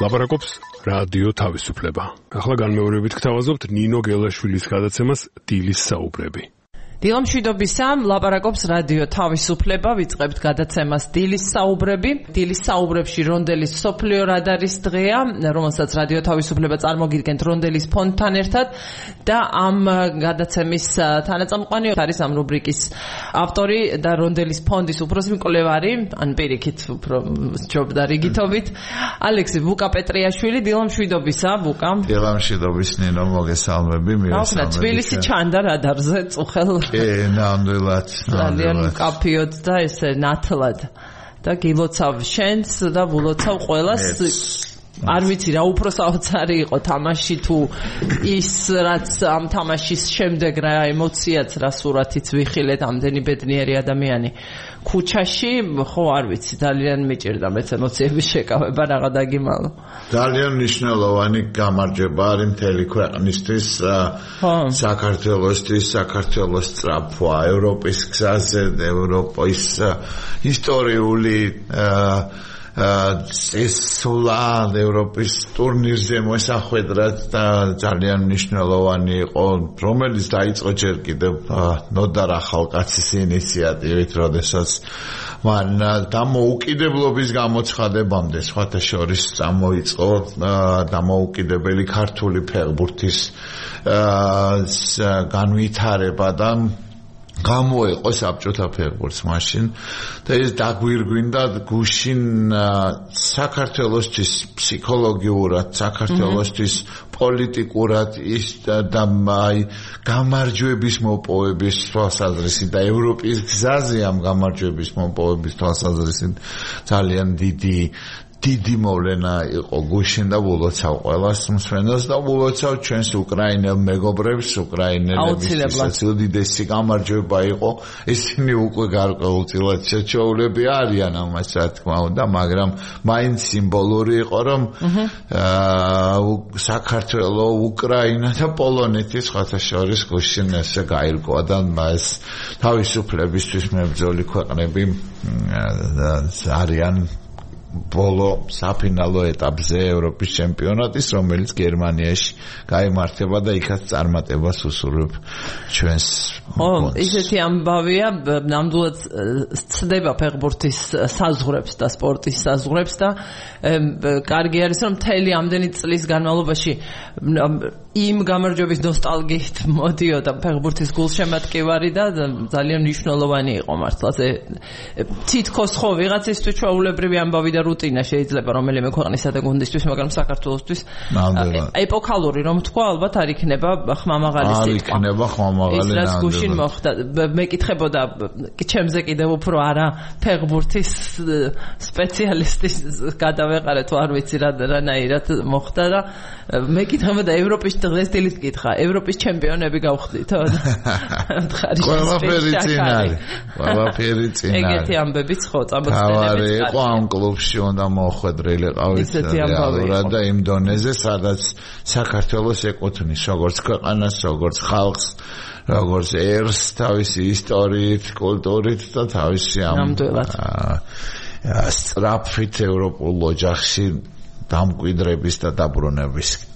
ლაპარაკობს რადიო თავისუფლება. ახლა განმეორებით გთავაზობთ ნინო გელაშვილის გადაცემას დილის საუბრები. დილამშვიდობისა, ლაპარაკობს რადიო თავისუფლება, ვიწყებთ გადაცემას დილის საუბრები. დილის საუბრებში რონდელის სოფლიო რადარის დღეა, რომელსაც რადიო თავისუფლება წარმოგიდგენთ რონდელის ფონდთან ერთად და ამ გადაცემის თანაწამყვანი არის ამ რუბრიკის ავტორი და რონდელის ფონდის უფროსი მკვლევარი, ან პირიქით უფრო ჯობდა რიგითობით, ალექსი ვუკა პეტრიაშვილი. დილამშვიდობისა, ვუკა. დილამშვიდობის ნინო, მოგესალმები, მივესალმები. თბილისი ჩანდა რადარზე წუხელ ნამდვილად ძალიან მკაფიოდ და ესე ნათლად და გილოცავ შენს და ვულოცავ ყველას. არ ვიცი რა უფრო საოცარი იყო თამაში თუ ის რაც ამ თამაშის შემდეგ რა ემოციაც რა სურათიც ვიხილეთ ამდენი ბედნიერი ადამიანი ქუჩაში, ხო არ ვიცი, ძალიან მიჭირდა მეც ემოციების შეკავება რაღა დაგიმალო. ძალიან მნიშვნელოვანი გამარჯვება არის მთელი ქვეყნისთვის, საქართველოსთვის, საქართველოს სწრაფვა, ევროპის გზაზე, ევროპის ისტორიული წესვლა ევროპის ტურნირზე მოსახვედრად და ძალიან მნიშვნელოვანი იყო, რომელიც დაიწყო ჯერ კიდევ ნოდარ ახალკაცის ინიციატივით, როდესაც მან დამოუკიდებლობის გამოცხადებამდე სხვათა შორის წამოიწყო დამოუკიდებელი ქართული ფეხბურთის განვითარება და გამოეყო საბჭოთა ფეხბურთს მაშინ და ეს დაგვირგვინდა გუშინ საქართველოსთვის ფსიქოლოგიურად, საქართველოსთვის პოლიტიკურად ის და გამარჯვების მოპოვების თვალსაზრისით და ევროპის გზაზე ამ გამარჯვების მოპოვების თვალსაზრისით ძალიან დიდი მოვლენა იყო გუშინ და ვულოცავ ყველას მსმენელს და ვულოცავ ჩვენს უკრაინელ მეგობრებს, უკრაინელებისთვის უდიდესი გამარჯვება იყო. ისინი უკვე გარკვეულწილად შეჩოულები არიან ამას, რა თქმა უნდა, მაგრამ მაინც სიმბოლური იყო, რომ საქართველო, უკრაინა და პოლონეთი სხვათა შორის გუშინ ესე გაირკვა და ეს თავისუფლებისთვის მებრძოლი ქვეყნები არიან ბოლო საფინალო ეტაპზე ევროპის ჩემპიონატის, რომელიც გერმანიაში გაიმართება და იქაც წარმატებას უსურვებ ჩვენს. ხო, ისეთი ამბავია, ნამდვილად ცდება ფეხბურთის საზღვრებს და სპორტის საზღვრებს და კარგი არის, რომ მთელი ამდენი წლის განმავლობაში იმ გამარჯვების ნოსტალგიით მოდიოდა ფეხბურთის გულშემატკივარი და ძალიან მნიშვნელოვანი იყო მართლა. თითქოს ხო ვიღაცისთვის ჩვეულებრივი ამბავი და რუტინა შეიძლება რომელიმე ქვეყნისა და გუნდისთვის, მაგრამ საქართველოსთვის ეპოქალური რომ თქვა, ალბათ არ იქნება ხმამაღალი სიტყვა. არ იქნება ხმამაღალი. ის რაც გუშინ მოხდა, მეკითხებოდა ჩემზე კიდევ უფრო არა ფეხბურთის სპეციალისტის გადავეყარეთ, არ ვიცი რანაირად მოხდა და მეკითხებოდა ევროპის დღეს დილით კითხა, ევროპის ჩემპიონები გავხდითო? ყველაფერი წინ არის. ყველაფერი წინ არის. ეგეთი ამბებიც ხო, წამოწმენებით იყო ამ კლუბში უნდა მოხვედრილიყავით რეალურად და იმ დონეზე, სადაც საქართველოს ეკუთვნის როგორც ქვეყანას, როგორც ხალხს, როგორც ერს, თავისი ისტორიით, კულტურით და თავისი ამ სწრაფით ევროპულ ოჯახში დამკვიდრების და დაბრუნების.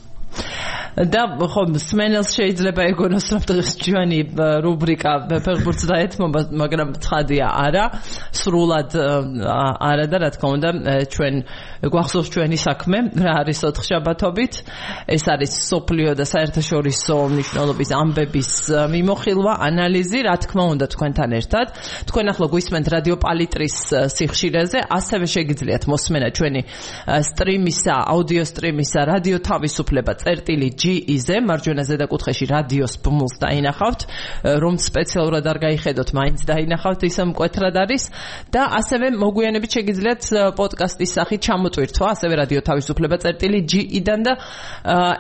და ხო მსმენელს შეიძლება ეგონოს რომ დღეს ჩვენი რუბრიკა ფეხბურთს დაეთმობა, მაგრამ ცხადია არა, სრულად არა და რა თქმა უნდა ჩვენ გვახსოვს ჩვენი საქმე რა არის ოთხშაბათობით. ეს არის სოფლიო და საერთაშორისო მნიშვნელობის ამბების მიმოხილვა, ანალიზი, რა თქმა უნდა თქვენთან ერთად. თქვენ ახლა გვისმენთ რადიო პალიტრის სიხშირეზე, ასევე შეგიძლიათ მოსმენა ჩვენი სტრიმისა, აუდიო სტრიმისა რადიო თავისუფლება GE-ზე, მარჯვენა ზედაკუთხეში რადიოს ბმულს დაინახავთ, რომ სპეციალურად არ გაიხედოთ, მაინც დაინახავთ, ისე მკვეთრად არის და ასევე მოგვიანებით შეგიძლიათ პოდკასტის სახით ჩამოწვირთვა, ასევე რადიო თავისუფლება GE-დან და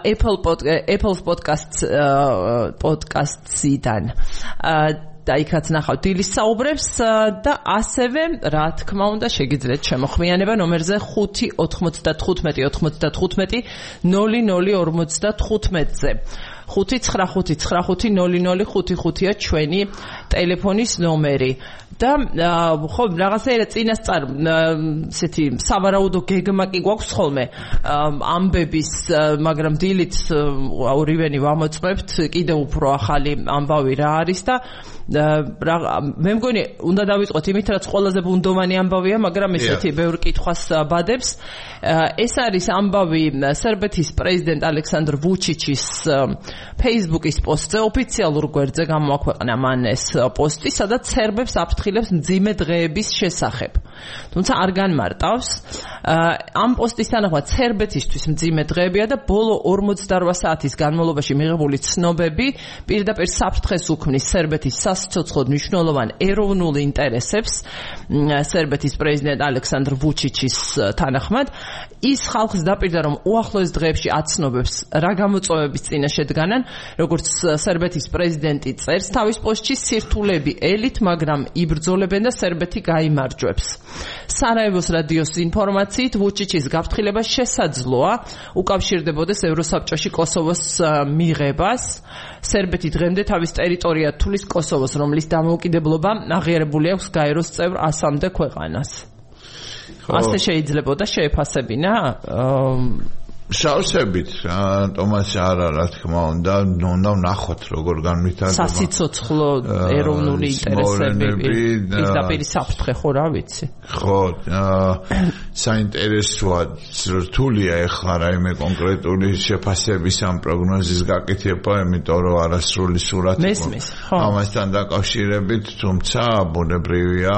Apple Podcasts-იდან. და იქაც ნახავთ დილის საუბრებს და ასევე რა თქმა უნდა შეგიძლიათ შემოხმიანება ნომერზე 595-95-00-55-00-55-ზე 595-95-00-55-ია ჩვენი ტელეფონის ნომერი და ხო რაღაცა წინასწარ ესეთი სავარაუდო გეგმა კი გვაქვს ხოლმე ამბების, მაგრამ დილით ორივენი ვამოწმებთ კიდევ უფრო ახალი ამბავი რა არის და მე მგონი უნდა დავიწყოთ იმით, რაც ყველაზე ბუნდოვანი ამბავია, მაგრამ ესეთი ბევრ კითხვას ბადებს. ეს არის ამბავი სერბეთის პრეზიდენტ ალექსანდრ ვუჩიჩის Facebook-ის პოსტზე, ოფიციალურ გვერდზე გამოაქვეყნა მან ეს პოსტი, სადაც სერბებს აფრთხილებს მძიმე დღეების შესახებ. თუმცა არ განმარტავს. ამ პოსტის თანახმად სერბეთისთვის მძიმე დღეებია და ბოლო 48 საათის განმავლობაში მიღებული ცნობები პირდაპირ საფრთხეს უქმნის სერბეთის სასიცოცხლოდ მნიშვნელოვან ეროვნულ ინტერესებს სერბეთის პრეზიდენტ ალექსანდრ ვუჩიჩის თანახმად. ის ხალხს დაპირდა, რომ უახლოეს დღეებში აცნობებს რა გამოწვევების წინაშე დგანან, როგორც სერბეთის პრეზიდენტი წერს თავის პოსტში, სირთულები ელით, მაგრამ იბრძოლებენ და სერბეთი გაიმარჯვებს. სარაევოს რადიოს ინფორმაციით, ვუჩიჩის გაფრთხილება შესაძლოა უკავშირდებოდეს ევროსაბჭოში კოსოვოს მიღებას. სერბეთი დღემდე თავის ტერიტორია თulis კოსოვოს, რომლის დამოუკიდებლობა აღიარებული აქვს გაეროს წევრ 100-მდე ქვეყანას. ასე შეიძლებოდა შეეფასებინა? შავსებით, თომასი არა, რა თქმა უნდა, უნდა ვნახოთ როგორ განვითარდება. სასიცოცხლო ეროვნული ინტერესები, პირდაპირ საფრთხე ხო რა ვიცი. ხო, საინტერესოა, რთულია ეხლა რაიმე კონკრეტული შეფასების ამ პროგნოზის გაკეთება, იმიტომ რომ არასრული სურათი მესმის, ხო. ამასთან დაკავშირებით, თუმცა ბუნებრივია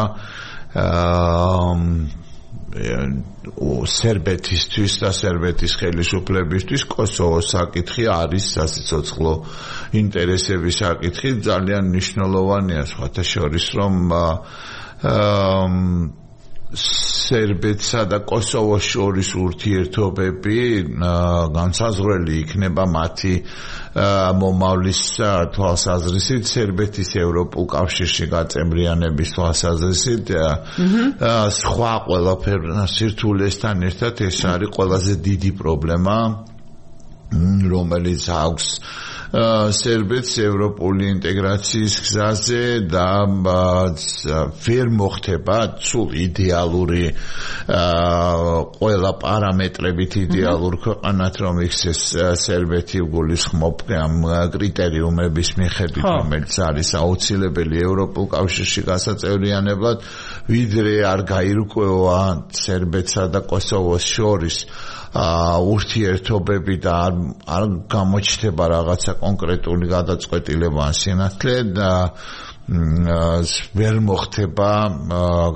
სერბეთისთვის და სერბეთის ხელისუფლებისთვის კოსოვოს საკითხი არის სასიცოცხლო ინტერესების საკითხი, ძალიან მნიშვნელოვანია სხვათა შორის, რომ სერბეთსა და კოსოვოს შორის ურთიერთობები განსაზღვრელი იქნება მათი მომავლის თვალსაზრისით, სერბეთის ევროპულ კავშირში გაწევრიანების თვალსაზრისით, სხვა ყველაფერ სირთულესთან ერთად ეს არის ყველაზე დიდი პრობლემა, რომელიც აქვს სერბეთს ევროპული ინტეგრაციის გზაზე და ვერ მოხდება სულ იდეალური ყველა პარამეტრებით იდეალურ ქვეყანად, რომ იქცეს სერბეთი გულისხმობ ამ კრიტერიუმების მიხედვით, რომელიც არის აუცილებელი ევროპულ კავშირში გასაწევრიანებლად, ვიდრე არ გაირკვევა სერბეთსა და კოსოვოს შორის ურთიერთობები და არ გამოჩნდება რაღაცა კონკრეტული გადაწყვეტილება ან სინათლე და ვერ მოხდება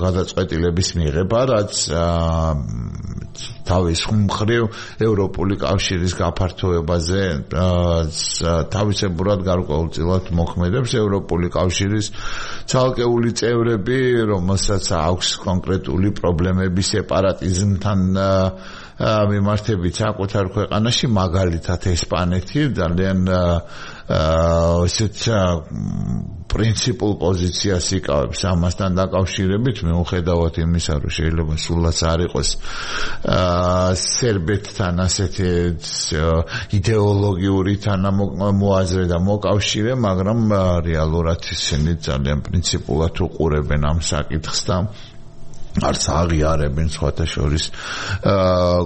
გადაწყვეტილების მიღება, რაც თავის მხრივ ევროპული კავშირის გაფართოებაზე თავისებურად გარკვეულწილად მოქმედებს. ევროპული კავშირის ცალკეული წევრები, რომელსაც აქვს კონკრეტული პრობლემები სეპარატიზმთან მიმართებით საკუთარ ქვეყანაში, მაგალითად ესპანეთი ძალიან ესეთ პრინციპულ პოზიციას იკავებს ამასთან დაკავშირებით, მიუხედავად იმისა, რომ შეიძლება სულაც არ იყოს სერბეთთან ასეთი იდეოლოგიური თანამოაზრე და მოკავშირე, მაგრამ რეალურად ისინი ძალიან პრინციპულად უყურებენ ამ საკითხს და არც აღიარებენ სხვათა შორის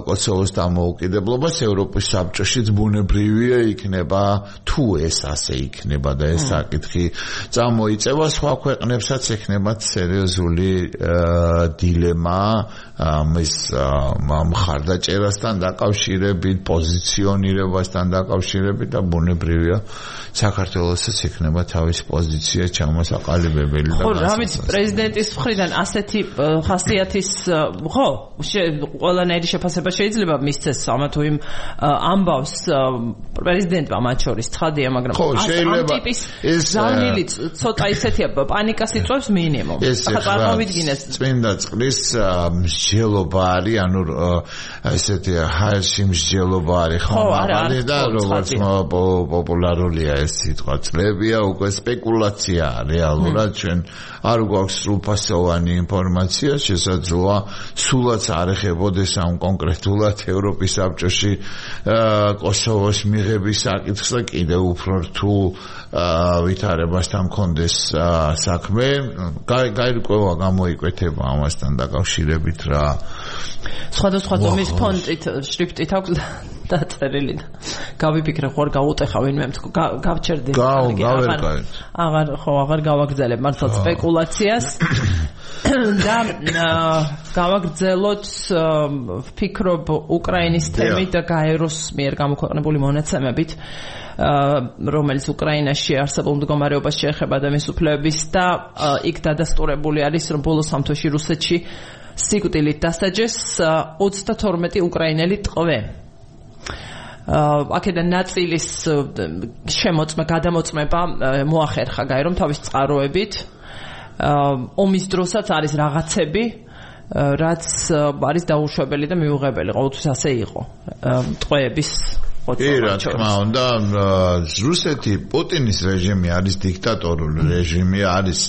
კოსოვოს დამოუკიდებლობას. ევროპის საბჭოშიც ბუნებრივია იქნება, თუ ეს ასე იქნება და ეს საკითხი წამოიწევა, სხვა ქვეყნებსაც ექნებათ სერიოზული დილემა ამის მხარდაჭერასთან დაკავშირებით, პოზიციონირებასთან დაკავშირებით და ბუნებრივია საქართველოსაც ექნება თავის პოზიცია ჩამოსაყალიბებელი და ხო, რა ვიცი, პრეზიდენტის მხრიდან ასეთი ხასიათის ხო, ყველანაირი შეფასება შეიძლება მისცეს ამა თუ იმ ამბავს პრეზიდენტმა მათ შორის ცხადია, მაგრამ ამ ტიპის ზავნილი ცოტა ისეთია, პანიკას იწვევს მინიმუმ. ახლა წარმოვიდგინეს წმინდა წყლის მსჯელობა არის, ანუ ესეთი ჰაერში მსჯელობა არის ხმამაღალი და როგორც პოპულარულია ეს სიტყვა წლებია, უკვე სპეკულაცია რეალურად ჩვენ არ გვაქვს სრულფასოვანი ინფორმაცია, შესაძლოა სულაც არ ეხებოდეს ამ კონკრეტულად ევროპის საბჭოში კოსოვოს მიღების საკითხს და კიდევ უფრო რთულ ვითარებასთან მქონდეს საქმე. გაირკვევა გამოიკვეთება ამასთან დაკავშირებით რა. სხვადასხვა ზომის ფონტით, შრიფტით აქვს დაწერილი და გავიფიქრე ხوار გავუტეხა ვინმე გავჩერდი. აღარ გავაგრძელებ მართლა სპეკულაციას და გავაგრძელოთ ვფიქრობ უკრაინის თემით და გაეროს მიერ გამოქვეყნებული მონაცემებით რომელიც უკრაინაში არსებულ მდგომარეობას შეეხება და მის უფლებების და იქ დადასტურებული არის რომ ბოლო სამთოში რუსეთში სიკვდილით დასაჯეს 32 უკრაინელი ტყვე. აქედან ნაწილის გადამოწმება მოახერხა გაერომ თავის წყაროებით. ომის დროსაც არის რაღაცები, რაც არის დაუშვებელი და მიუღებელი. ყოველთვის ასე იყო. ტყვეების რა თქმა უნდა, რუსეთი პუტინის რეჟიმი არის დიქტატორული რეჟიმი, არის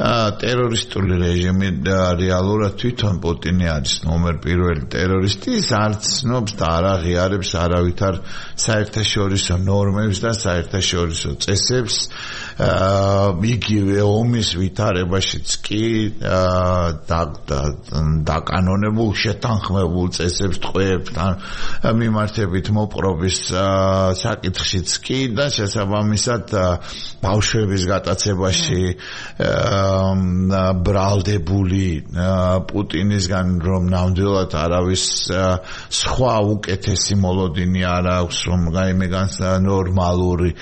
ტერორისტული რეჟიმი და რეალურად თვითონ პუტინი არის ნომერ პირველი ტერორისტი, ის არ ცნობს და არ აღიარებს არავითარ საერთაშორისო ნორმებს და საერთაშორისო წესებს. იგივე ომის ვითარებაშიც კი დაკანონებულ შეთანხმებულ წესებს ტყვეებთან მიმართებით მოპყრობის საკითხშიც კი და შესაბამისად ბავშვების გატაცებაში ბრალდებული პუტინისგან რომ ნამდვილად არავის სხვა უკეთესი მოლოდინი არ აქვს რომ გაიმეგან ნორმალური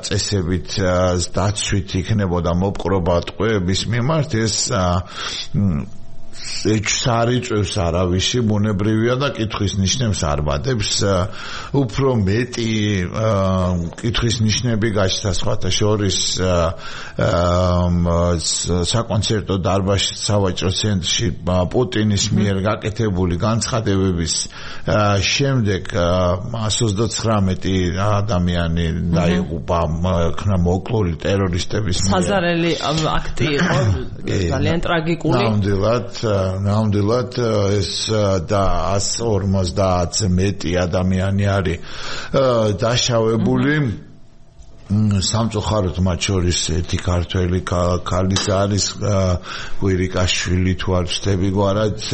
წესებით დაცვით იქნებოდა მოპყრობა ტყვეების მიმართ ეს ეჩსარიწევს არავისი ბუნებრივია და კითხვის ნიშნებს არ ბადებს უფრო მეტი კითხვის ნიშნები გაჩნდა სხვათა შორის საკონცერტო დარბაზში სავაჭრო ცენტრში პუტინის მიერ გაკეთებული განცხადებების შემდეგ 129 ადამიანი დაიღუპა ხნა მოკლული ტერორისტების მიერ საზარელი აქტი იყო ძალიან ტრაგიკული ნამდვილად ეს და 150 მეტი ადამიანი არის დაშავებული სამწუხაროდ მათ შორის ერთი ქართველი ქალის არის კვირიკაშვილი თუ არ ვცდები გვარად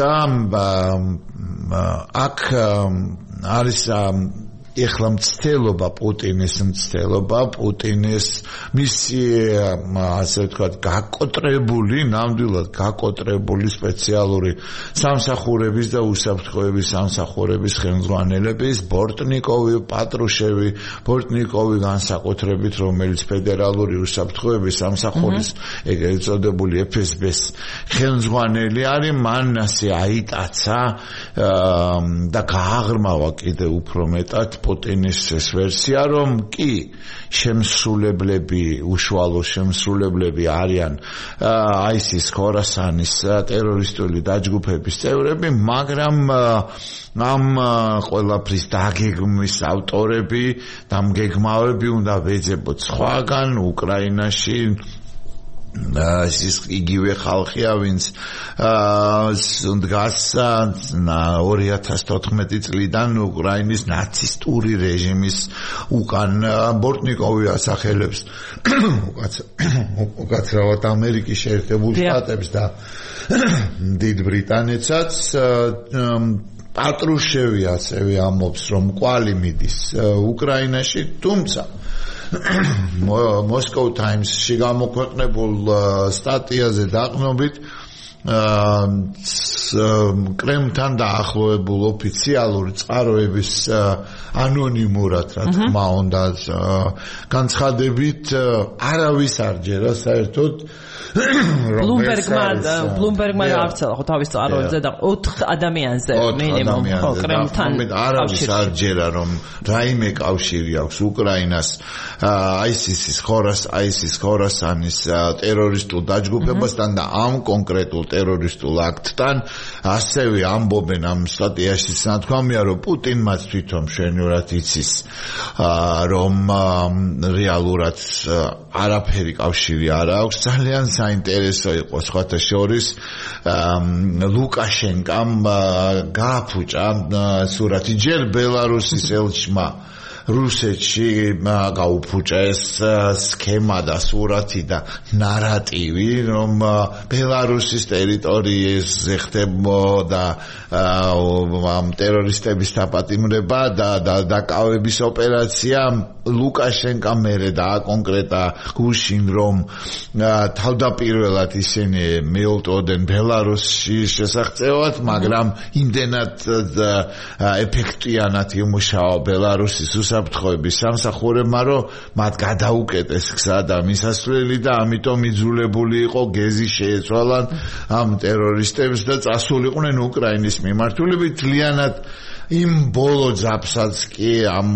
და აქ არის ეხლა მცდელობა პუტინის მისი ასე ვთქვათ გაკოტრებული ნამდვილად გაკოტრებული სპეციალური სამსახურების და უსაფრთხოების სამსახურების ხელმძღვანელების ბორტნიკოვი პატრუშევი ბორტნიკოვი განსაკუთრებით რომელიც ფედერალური უსაფრთხოების სამსახურის ეგრეთ წოდებული FSB-ს ხელმძღვანელი არის მან ასე აიტაცა და გააღრმავა კიდევ უფრო მეტად პუტინის ეს ვერსია რომ კი შემსრულებლები უშუალო შემსრულებლები არიან ISIS ხორასანის ტერორისტული დაჯგუფების წევრები მაგრამ ამ ყველაფრის დაგეგმვის ავტორები და მგეგმავები უნდა ვეძებოთ სხვაგან უკრაინაში ის იგივე ხალხია ვინც დგას 2014 წლიდან უკრაინის ნაცისტური რეჟიმის უკან ბორტნიკოვი ასახელებს უკაცრავად ამერიკის შეერთებულ შტატებს და დიდ ბრიტანეთსაც პატრუშევი ასევე ამბობს რომ კვალი მიდის უკრაინაში თუმცა Moscow Times-ში გამოქვეყნებულ სტატიაზე დაყნობით კრემლთან დაახლოებულ ოფიციალური წყაროების ანონიმურად რა თქმა უნდა განცხადებით არავის არ ჯერა საერთოდ ბლუმბერგმა გაავრცელა ხო თავის წყაროებზე და 4 ადამიანზე მინიმუმ ხო კრემლთან არავის არ ჯერა რომ რაიმე კავშირი აქვს უკრაინას ISIS-ის ხორასანის ტერორისტულ დაჯგუფებასთან და ამ კონკრეტულ ტერორისტულ აქტთან ასევე ამბობენ ამ სტატიაში ნათქვამია რომ პუტინმაც თვითონ მშვენივრად იცის რომ რეალურად არაფერი კავშირი არ აქვს ძალიან საინტერესო იყო სხვათა შორის ლუკაშენკამ გააფუჭა სურათი ჯერ ბელარუსის ელჩმა რუსეთში გაუფუჭა ეს სქემა და სურათი და ნარატივი რომ ბელარუსის ტერიტორიაზე ხდებოდა ამ ტერორისტების დაპატიმრება და დაკავების ოპერაცია ლუკაშენკა მერე დააკონკრეტა გუშინ რომ თავდაპირველად ისინი მიულტვოდნენ ბელარუსის შესახწევად მაგრამ იმდენად ეფექტიანად იმუშავა ბელარუსის უსაფრთხოების სამსახურებმა რომ მათ გადაუკეტეს გზა და მისასვლელი და ამიტომ იძულებული იყო გეზი შეეცვალან ამ ტერორისტებს და წასულიყვნენ უკრაინის მიმართულებით ძალიანად იმ ბოლო ძაფსაც კი ამ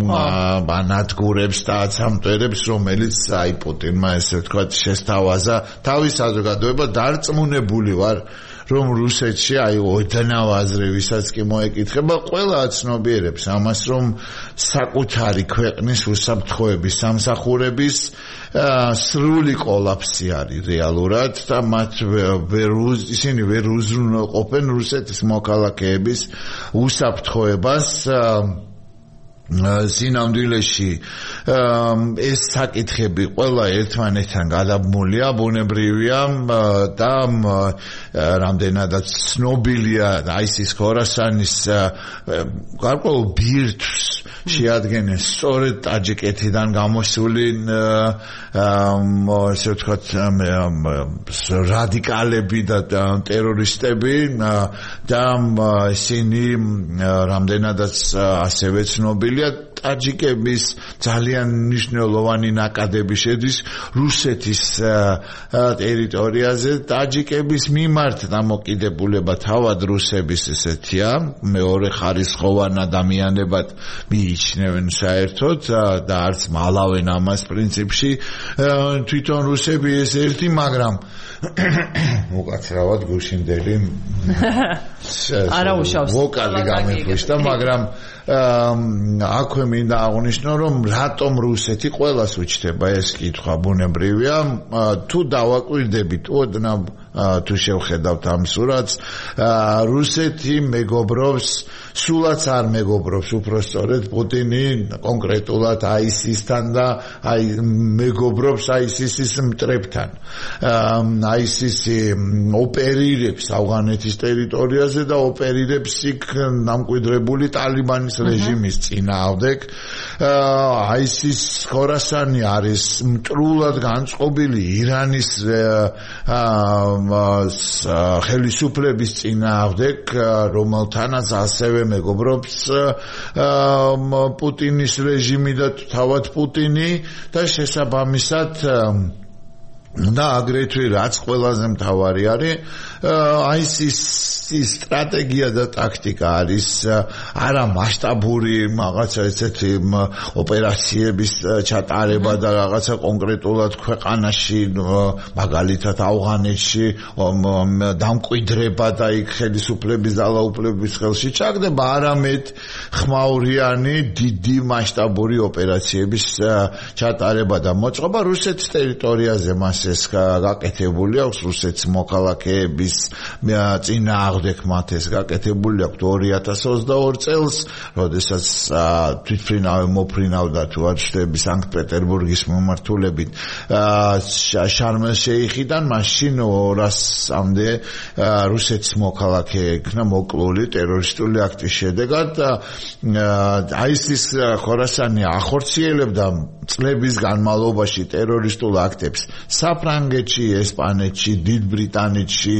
ბანადგურებს და აცამტვერებს რომელიც აი პუტინმა ესე ვთქვათ შესთავაზა თავის საზოგადოება დარწმუნებული ვარ რომ რუსეთში აი ოდნავ აზრებისაც კი მოეკითხება ყველა აცნობიერებს ამას რომ საკუთარი ქვეყნის უსაფრთხოების სამსახურების სრული კოლაფსი არის რეალურად და მათ ისინი ვერ უზრუნველყოფენ რუსეთის მოქალაქეების უსაფრთხოებას სინამდვილეში ეს საკითხები ყველა ერთმანეთთან გადაბმულია ბუნებრივია და რამდენადაც ცნობილია ის ხორასანის გარკვეულ ბირთვს შეადგენენ სწორედ ტაჯიკეთიდან გამოსული ესე ვთქვათ რადიკალები და ტერორისტები და ისინი რამდენადაც ასევე ცნობილია ტაჯიკების ძალიან მნიშვნელოვანი ნაკადები შედის რუსეთის ტერიტორიაზე ტაჯიკების მიმართ დამოკიდებულება თავად რუსების ესეთია მეორე ხარისხოვან ადამიანებად მიიჩნევენ საერთოდ და არც მალავენ ამას პრინციპში თვითონ რუსები ეს ერთი მაგრამ უკაცრავად გუშინდელი არა უშავს ვოკალი გამეფიშდა მაგრამ აქვე მინდა აღნიშნო რომ რატომ რუსეთი ყველას უჩნდება ეს კითხვა ბუნებრივია თუ დავაკვირდებით ოდნავ თუ შევხედავთ ამ სურათს რუსეთი მეგობრობს სულაც არ მეგობრობს უпростоრედ პუტინი კონკრეტულად ISIS-თან და მეგობრობს ISIS-ის მტრებთან ISIS-ი ოპერირებს ავღანეთის ტერიტორიაზე და ოპერირებს იქ დამკვიდრებული ტალიბანის რეჟიმის წინააღმდეგ ISIS ხორასანი არის მტრულად განწყობილი ირანის ხელისუფლების წინააღმდეგ რომელთანაც ასევე მეგობრობს პუტინის რეჟიმი და თავად პუტინი და შესაბამისად და აგრეთვე რაც ყველაზე მთავარი არის ISIS-ის სტრატეგია და ტაქტიკა არის არა მასშტაბური რაღაცა ესეთი ოპერაციების ჩატარება და რაღაცა კონკრეტულად ქვეყანაში მაგალითად ავღანეთში დამკვიდრება და იქ ხელისუფლების ძალაუფლების ხელში ჩაგდება არამედ ხმაურიანი დიდი მასშტაბური ოპერაციების ჩატარება და მოწყობა რუსეთის ტერიტორიაზე მას ეს გაკეთებული აქვს რუსეთის მოქალაქეების წინააღმდეგ მათ ეს გაკეთებული აქვს 2022 წელს, როდესაც თვითმფრინავი მოფრინავდა თუ არ ვშტები სანქტ-პეტერბურგის მიმართულებით შარმელ-შეიხიდან, მაშინ 200-მდე რუსეთის მოქალაქე იქნა მოკლული ტერორისტული აქტის შედეგად. ISIS ხორასანი ახორციელებდა წლების განმავლობაში ტერორისტულ აქტებს საფრანგეთში, ესპანეთში, დიდ ბრიტანეთში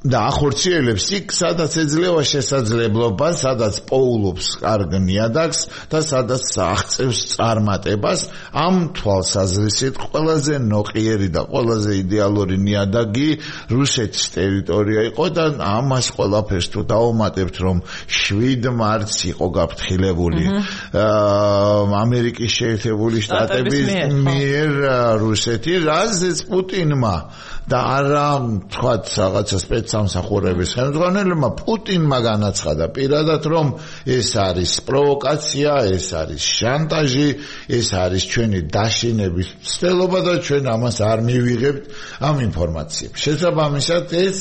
და ახორციელებს იქ, სადაც ეძლევა შესაძლებლობა, სადაც პოულობს კარგ ნიადაგს და სადაც აღწევს წარმატებას. ამ თვალსაზრისით ყველაზე ნოყიერი და ყველაზე იდეალური ნიადაგი რუსეთის ტერიტორია იყო და ამას ყველაფერს თუ დავუმატებთ, რომ 7 მარტს იყო გაფრთხილებული ამერიკის შეერთებული შტატების მიერ რუსეთი, რაზეც პუტინმა და არა თქვათ რაღაცა სპეცსამსახურების ხელმძღვანელებმა პუტინმა განაცხადა პირადად რომ ეს არის პროვოკაცია, ეს არის შანტაჟი, ეს არის ჩვენი დაშინების ცდელობა და ჩვენ ამას არ მივიღებთ ამ ინფორმაციებს. შესაბამისად ეს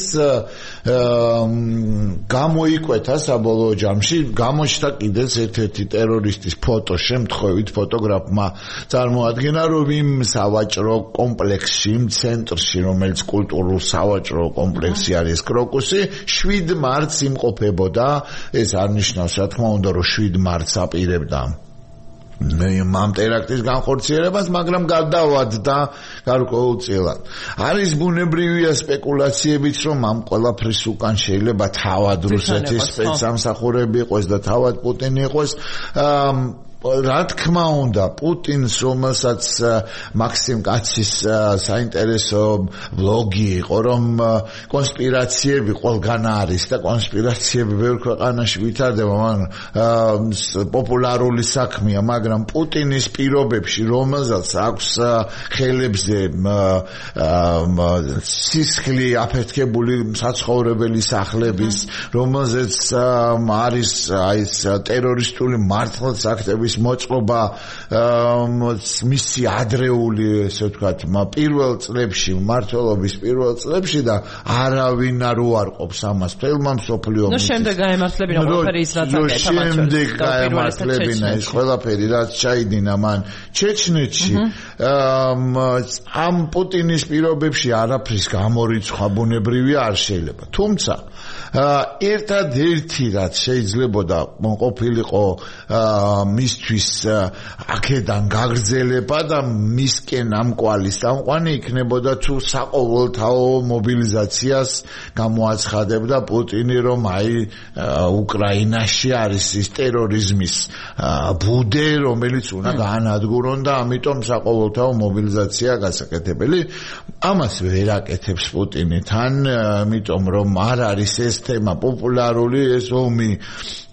გამოიკვეთა საბოლოო ჯამში, გამოჩნდა კიდეც ერთ-ერთი ტერორისტის ფოტო, შემთხვევით ფოტოგრაფმა წარმოადგენა რომ იმ სავაჭრო კომპლექსში, იმ ცენტრში, რომელიც კულტურულ სავაჭრო კომპლექსი არის კროკუსი, 7 მარტს იმყოფებოდა, ეს არ ნიშნავს რა თქმა უნდა რომ 7 მარტს აპირებდა ამ ტერაქტის განხორციელებას, მაგრამ გადავადდა გარკვეულწილად. არის ბუნებრივია სპეკულაციებიც, რომ ამ ყველაფრის უკან შეიძლება თავად რუსეთის სპეცსამსახურები იყოს და თავად პუტინი იყოს. რა თქმა უნდა, პუტინს, რომელსაც მაქსიმ კაცის საინტერესო ბლოგი იყო, რომ კონსპირაციები ყველგან არის და კონსპირაციები ბევრ ქვეყანაში ვითარდება, მაგრამ პოპულარული საქმეა, მაგრამ პუტინის პირობებში, რომელსაც აქვს ხელებზე სისხლი აფეთქებული საცხოვრებელი სახლების, რომელზეც არის ეს ტერორისტული მართლაც აქტები მოწყობა მისი ადრეული ესე ვთქვათ პირველ წლებში მმართველობის პირველ წლებში და არავინ არ უარყოფს ამას თელმა მსოფლიო ომში. შემდეგ გაემართლებინა ყველაფერი ის რაც აკეთა შემდეგ გაემართლებინა ის ყველაფერი რაც ჩაიდინა მან ჩეჩნეთში. ამ პუტინის პირობებში არაფრის გამორიცხვა ბუნებრივია არ შეიძლება. თუმცა ერთადერთი რაც შეიძლებოდა ყოფილიყო მისთვის აქედან გაგრძელება და მისკენ ამ კვალის სამყვანი იქნებოდა თუ საყოველთაო მობილიზაციას გამოაცხადებდა პუტინი, რომ აი უკრაინაში არის ის ტერორიზმის ბუდე, რომელიც უნდა გაანადგურონ და ამიტომ საყოველთაო მობილიზაცია გასაკეთებელი. ამას ვერ აკეთებს პუტინი თან, ამიტომ რომ არ არის ეს თემა პოპულარული, ეს ომი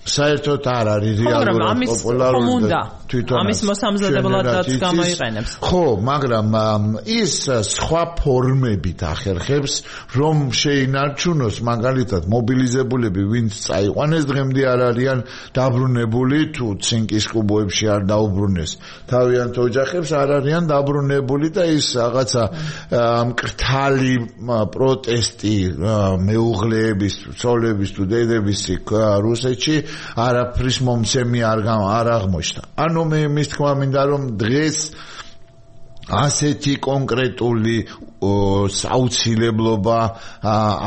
საერთოდ არ არის რეალურად პოპულარული და თვითონ ამის მოსამზადებელადაც გამოიყენებს. ხო, მაგრამ ის სხვა ფორმებით ახერხებს, რომ შეინარჩუნოს მაგალითად მობილიზებულები, ვინც წაიყვანეს, დღემდე არ არიან დაბრუნებული, თუ ცინკის კუბოებში არ დაუბრუნეს თავიანთ ოჯახებს, არ არიან დაბრუნებული და ის რაღაცა მკრთალი პროტესტი მეუღლეების, ცოლების თუ დედების რუსეთში არაფრის მომცემი არ აღმოჩნდა. ანუ მე მის თქმა მინდა რომ დღეს ასეთი კონკრეტული საუცილებლობა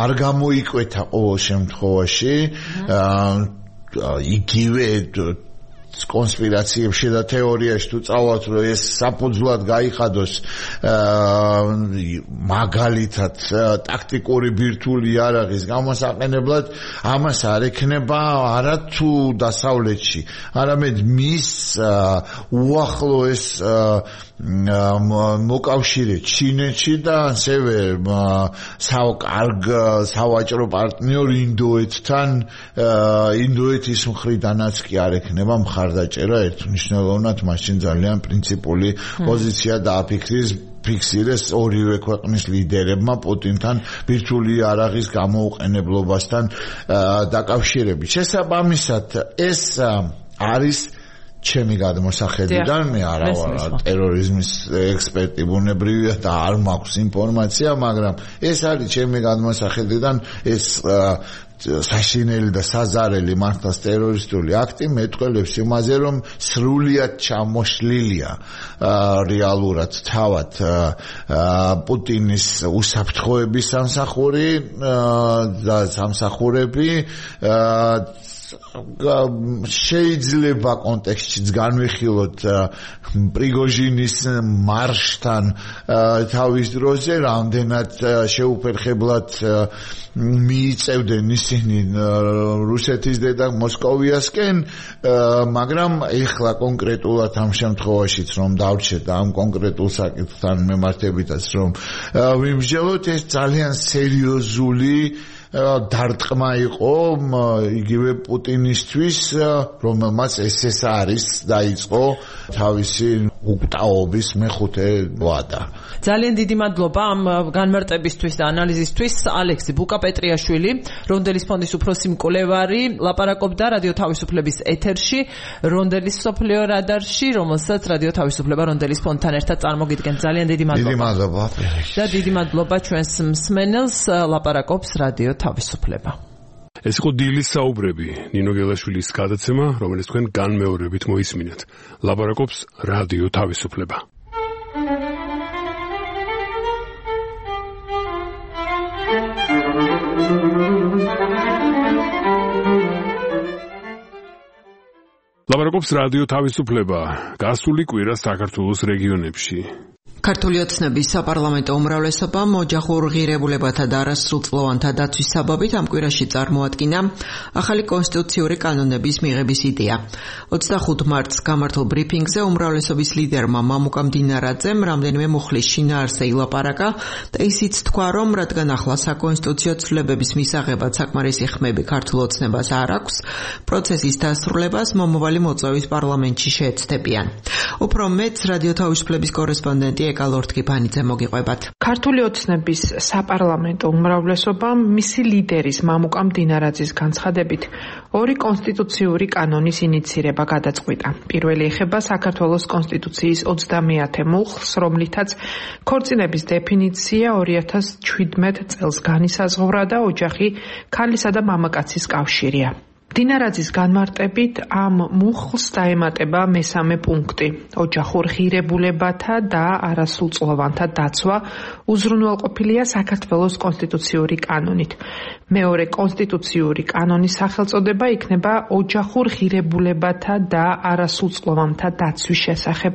არ გამოიკვეთა ყოველ შემთხვევაში. იგივე კონსპირაციებში და თეორიაში თუ წავალთ, რომ ეს საფუძვლად გაიხადოს მაგალითად ტაქტიკური ბირთვული იარაღის გამოსაყენებლად, ამას არ ექნება არა თუ დასავლეთში, არამედ მის უახლოეს მოკავშირე ჩინეთში და ასევე სავაჭრო პარტნიორ ინდოეთთან, ინდოეთის მხრიდანაც კი არ ექნება მხარდაჭერა ერთმნიშვნელოვნად, მაშინ ძალიან პრინციპული პოზიცია დააფიქსირეს ორივე ქვეყნის ლიდერებმა პუტინთან ბირთვული იარაღის გამოუყენებლობასთან დაკავშირებით. შესაბამისად ეს არის ჩემი გადმოსახედიდან, მე არა ვარ ტერორიზმის ექსპერტი ბუნებრივია და არ მაქვს ინფორმაცია, მაგრამ ეს არის ჩემი გადმოსახედიდან ეს საშინელი და საზარელი მართლაც ტერორისტული აქტი მეტყველებს იმაზე, რომ სრულიად ჩამოშლილია რეალურად თავად პუტინის უსაფრთხოების სამსახური და სამსახურები შეიძლება კონტექსტშიც განვიხილოთ პრიგოჟინის მარშთან თავის დროზე, რამდენად შეუფერხებლად მიიწევდნენ ისინი რუსეთის დედა მოსკოვიასკენ, მაგრამ ეხლა კონკრეტულად ამ შემთხვევაშიც რომ დავჩეთ ამ კონკრეტულ საკითხთან მიმართებითაც რომ ვიმსჯელოთ, ეს ძალიან სერიოზული დარტყმა იყო იგივე პუტინისთვის, რომელმაც ეს არის დაიწყო თავისი უკტაობის მეხუთე ვადა. ძალიან დიდი მადლობა ამ განმარტებისთვის და ანალიზისთვის. ალექსი ბუკა-პეტრიაშვილი, რონდელის ფონდის უფროსი მკვლევარი, ლაპარაკობდა რადიო თავისუფლების ეთერში, რონდელის მსოფლიო რადარში, რომელსაც რადიო თავისუფლება რონდელის ფონდთან ერთად წარმოგიდგენთ. ძალიან დიდი მადლობა. დიდი მადლობა. და დიდი მადლობა ჩვენს მსმენელს, ლაპარაკობს რადიო თავისუფლება. ეს იყო დილის საუბრები, ნინო გელაშვილის გადაცემა, რომელიც თქვენ განმეორებით მოისმინეთ. ლაპარაკობს რადიო თავისუფლება. ლაპარაკობს რადიო თავისუფლება. გასული კვირა საქართველოს რეგიონებში. ქართული ოცნების საპარლამენტო უმრავლესობამ ოჯახურ ღირებულებათა და არასრულწლოვანთა დაცვის საბაბით ამ კვირაში წარმოადგინა ახალი კონსტიტუციური კანონების მიღების იდეა. 25 მარტს გამართულ ბრიფინგზე უმრავლესობის ლიდერმა მამუკა მდინარაძემ რამდენიმე მუხლის შინაარსზე ილაპარაკა და ისიც თქვა, რომ რადგან ახლა საკონსტიტუციო ცვლილებების მისაღებად საკმარისი ხმები ქართულ ოცნებას არ აქვს, პროცესის დასრულებას მომავალი მოწვევის პარლამენტში შეეცდებიან. უფრო მეტს რადიო თავისუფლების კორესპონდენტი ეკალორთკიფანიძე მოგიყვებათ. ქართული ოცნების საპარლამენტო უმრავლესობამ მისი ლიდერის მამუკა მდინარაძის განცხადებით ორი კონსტიტუციური კანონის ინიცირება გადაწყვიტა. პირველი ეხება საქართველოს კონსტიტუციის 30 მუხლს, რომლითაც ქორწინების დეფინიცია 2017 წელს განისაზღვრა და ოჯახი ქალისა და მამაკაცის კავშირია. მდინარაძის განმარტებით ამ მუხლს დაემატება მესამე პუნქტი. ოჯახურ ღირებულებათა და არასრულწლოვანთა დაცვა უზრუნველყოფილია საქართველოს კონსტიტუციური კანონით. მეორე კონსტიტუციური კანონის სახელწოდება იქნება ოჯახურ ღირებულებათა და არასრულწლოვანთა დაცვის შესახებ.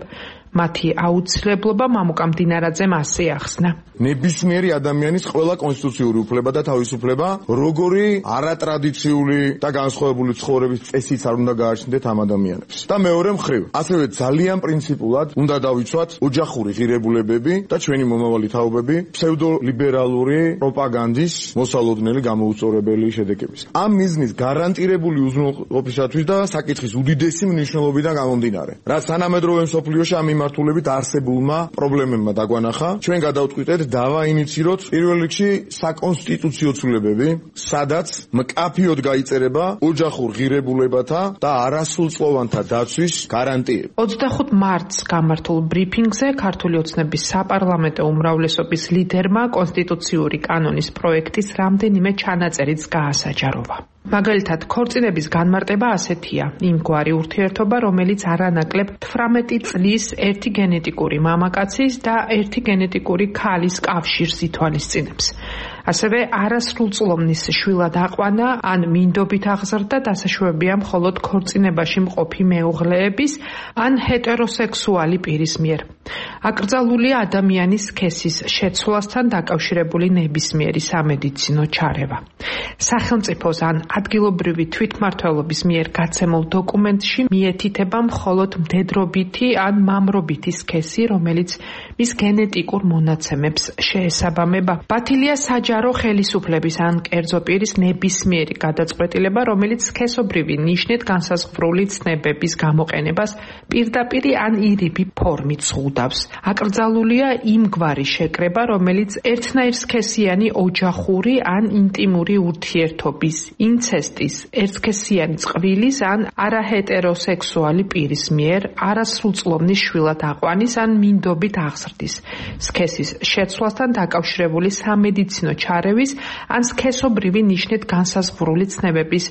მათი აუცილებლობა მამუკა მდინარაძემ ასე ახსნა. ნებისმიერი ადამიანის ყველა კონსტიტუციური უფლება და თავისუფლება, როგორი არატრადიციული და განსხვავებული ცხოვრების წესიც არ უნდა გააჩნდეთ ამ ადამიანებს. და მეორე მხრივ, ასევე ძალიან პრინციპულად უნდა დავიცვათ ოჯახური ღირებულებები და ჩვენი მომავალი თაობები ფსევდოლიბერალური პროპაგანდის მოსალოდნელი გამოუწორებელი შედეგების. ამ მიზნის გარანტირებული უზრუნველყოფისათვის და საკითხის უდიდესი მნიშვნელობიდან გამომდინარე, რაც თანამედროვე მსოფლიოში ამ მიმართულებით არსებულმა პრობლემებმა დაგვანახა, ჩვენ გადავწყვიტეთ დავაინიციოთ პირველ რიგში საკონსტიტუციო ცვლილებები, სადაც მკაფიოდ გაიწერება ოჯახურ ღირებულებათა და არასრულწლოვანთა დაცვის გარანტიები. 25 მარტს გამართულ ბრიფინგზე ქართული ოცნების საპარლამენტო უმრავლესობის ლიდერმა კონსტიტუციური კანონის პროექტის რამდენიმე ჩანაწერიც გაასაჯაროვა. მაგალითად, ქორწინების განმარტება ასეთია: იმგვარი ურთიერთობა, რომელიც არანაკლებ 18 წლის ერთი გენეტიკური მამაკაცის და ერთი გენეტიკური ქალის კავშირს ითვალისწინებს. ასევე არასრულწლოვნის შვილად აყვანა ან მინდობით აღზრდა დასაშვებია მხოლოდ ქორწინებაში მყოფი მეუღლეების ან ჰეტეროსექსუალი პირის მიერ. აკრძალულია ადამიანის სქესის შეცვლასთან დაკავშირებული ნებისმიერი სამედიცინო ჩარევა. სახელმწიფოს ან ადგილობრივი თვითმმართველობის მიერ გაცემულ დოკუმენტში მიეთითება მხოლოდ მდედრობითი ან მამრობითი სქესი, რომელიც მის გენეტიკურ მონაცემებს შეესაბამება. ბათილია საჯარო ხელისუფლების ან კერძო პირის ნებისმიერი გადაწყვეტილება, რომელიც სქესობრივი ნიშნით განსაზღვრული ცნებების გამოყენებას პირდაპირ ან ირიბი ფორმით ზღუდავს. აკრძალულია იმგვარი შეკრება, რომელიც ერთნაირ სქესიანი ოჯახური ან ინტიმური ურთიერთობის, ინცესტის, ერთსქესიანი წყვილის ან არაჰეტეროსექსუალი პირის მიერ არასრულწლოვნის შვილად აყვანის ან მინდობით აღზრდის, სქესის შეცვლასთან დაკავშირებული სამედიცინო ჩარევის ან სქესობრივი ნიშნით განსაზღვრული ცნებების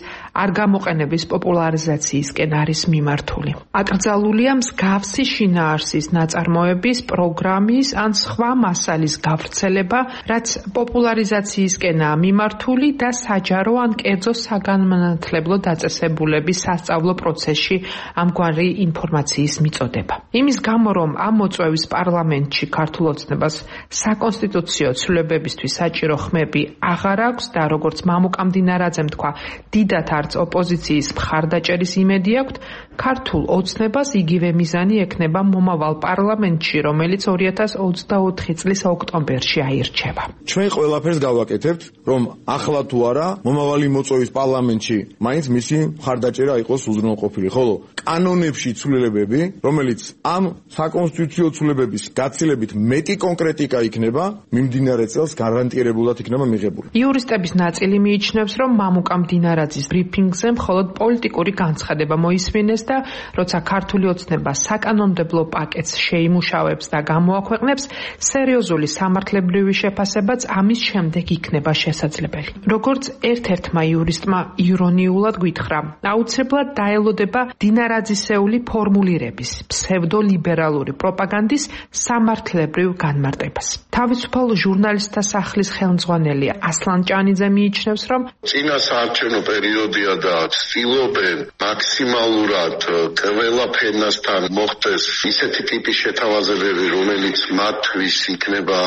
არ გამოყენების პოპულარიზაციისკენ არის მიმართული. აკრძალულია მსგავსი შინაარსის ნაწარმოების, პროგრამის ან სხვა მასალის გავრცელება, რაც პოპულარიზაციისკენაა მიმართული და საჯარო ან კერძო საგანმანათლებლო დაწესებულების სასწავლო პროცესში ამგვარი ინფორმაციის მიწოდება. იმის გამო, რომ ამ მოწვევის პარლამენტში ქართულ ოცნებას საკონსტიტუციო ცვლილებებისთვის საჭირო ხმები აღარ აქვს და როგორც მამუკა მდინარაძემ თქვა, დიდათ არც ოპოზიციის მხარდაჭერის იმედი აქვთ, ქართულ ოცნებას იგივე მიზანი ექნება მომავალ პარლამენტში, რომელიც 2024 წლის ოქტომბერში აირჩევა. ჩვენ ყველაფერს გავაკეთებთ, რომ ახლა თუ არა, მომავალი მოწვევის პარლამენტში მაინც მისი მხარდაჭერა იყოს უზრუნველყოფილი, ხოლო კანონებში ცვლილებები, რომელიც ამ საკონსტიტუციო ცვლილებების გაცილებით მეტი კონკრეტიკა იქნება, მიმდინარე წელს გარანტირებულად იქნება მიღებული. იურისტების ნაწილი მიიჩნევს, რომ მამუკა მდინარაძის ბრიფინგზე მხოლოდ პოლიტიკური განცხადება მოისმინეს და როცა ქართული ოცნება საკანონმდებლო პაკეტს შეიმუშავებს და გამოაქვეყნებს, სერიოზული სამართლებრივი შეფასებაც ამის შემდეგ იქნება შესაძლებელი. როგორც ერთ-ერთმა იურისტმა ირონიულად გითხრა, აუცილებლად დაელოდება დინარაძისეული ფორმულირების, ფსევდოლიბერალური პროპაგანდის სამართლებრივ განმარტებას. თავისუფალ ჟურნალისტთა სახლის ხელმძღვანელი ასლან ჭანიძე მიიჩნევს, რომ წინა საარჩევნო პერიოდია და ცდილობენ მაქსიმალურად ყველა ფენასთან მოხდეს ისეთი ტიპის შეთავაზებები, რომელიც მათთვის იქნება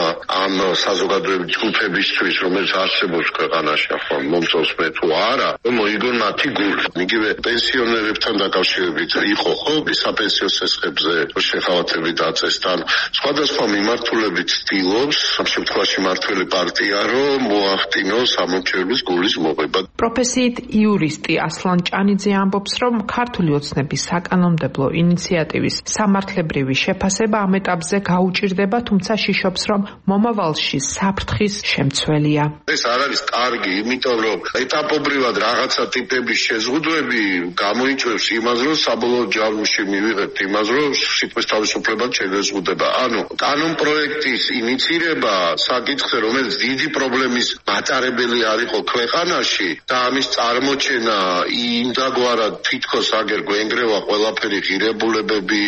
ამ საზოგადოებრივი ჯგუფებისთვის, რომელიც არსებობს ქვეყანაში, ახლა მომწონს მე თუ არა, მოიგონ მათი გული. იგივე პენსიონერებთან დაკავშირებით იყო ხო საპენსიო სესხებზე შეხავათები დაწესთან. სხვადასხვა მიმართულებით ცდილობს ამ შემთხვევაში მართველი პარტია რომ მოახდინოს ამორჩევის გულის მოღება. პროფესიით იურისტი ასლან ჭანიძე ამბობს, რომ ქართული ოცნების საკანონმდებლო ინიციატივის სამართლებრივი შეფასება ამ ეტაპზე გაუჭირდება, თუმცა შიშობს, რომ მომავალში საფრთხის შემცველია. ეს არ არის კარგი, იმიტომ რომ ეტაპობრივად რაღაცა ტიპების შეზღუდვები გამოიწვევს იმას, რომ საბოლოო ჯამში მივიღებთ იმას, რომ სიტყვის თავისუფლება შეგეზღუდება. ანუ კანონპროექტის ინიცირება საკითხზე, რომელიც დიდი პრობლემის მატარებელი არ იყო ქვეყანაში და ამის წარმოჩენა იმდაგვარად თითქოს აგერ გვენგრევა ყველაფერი ღირებულებები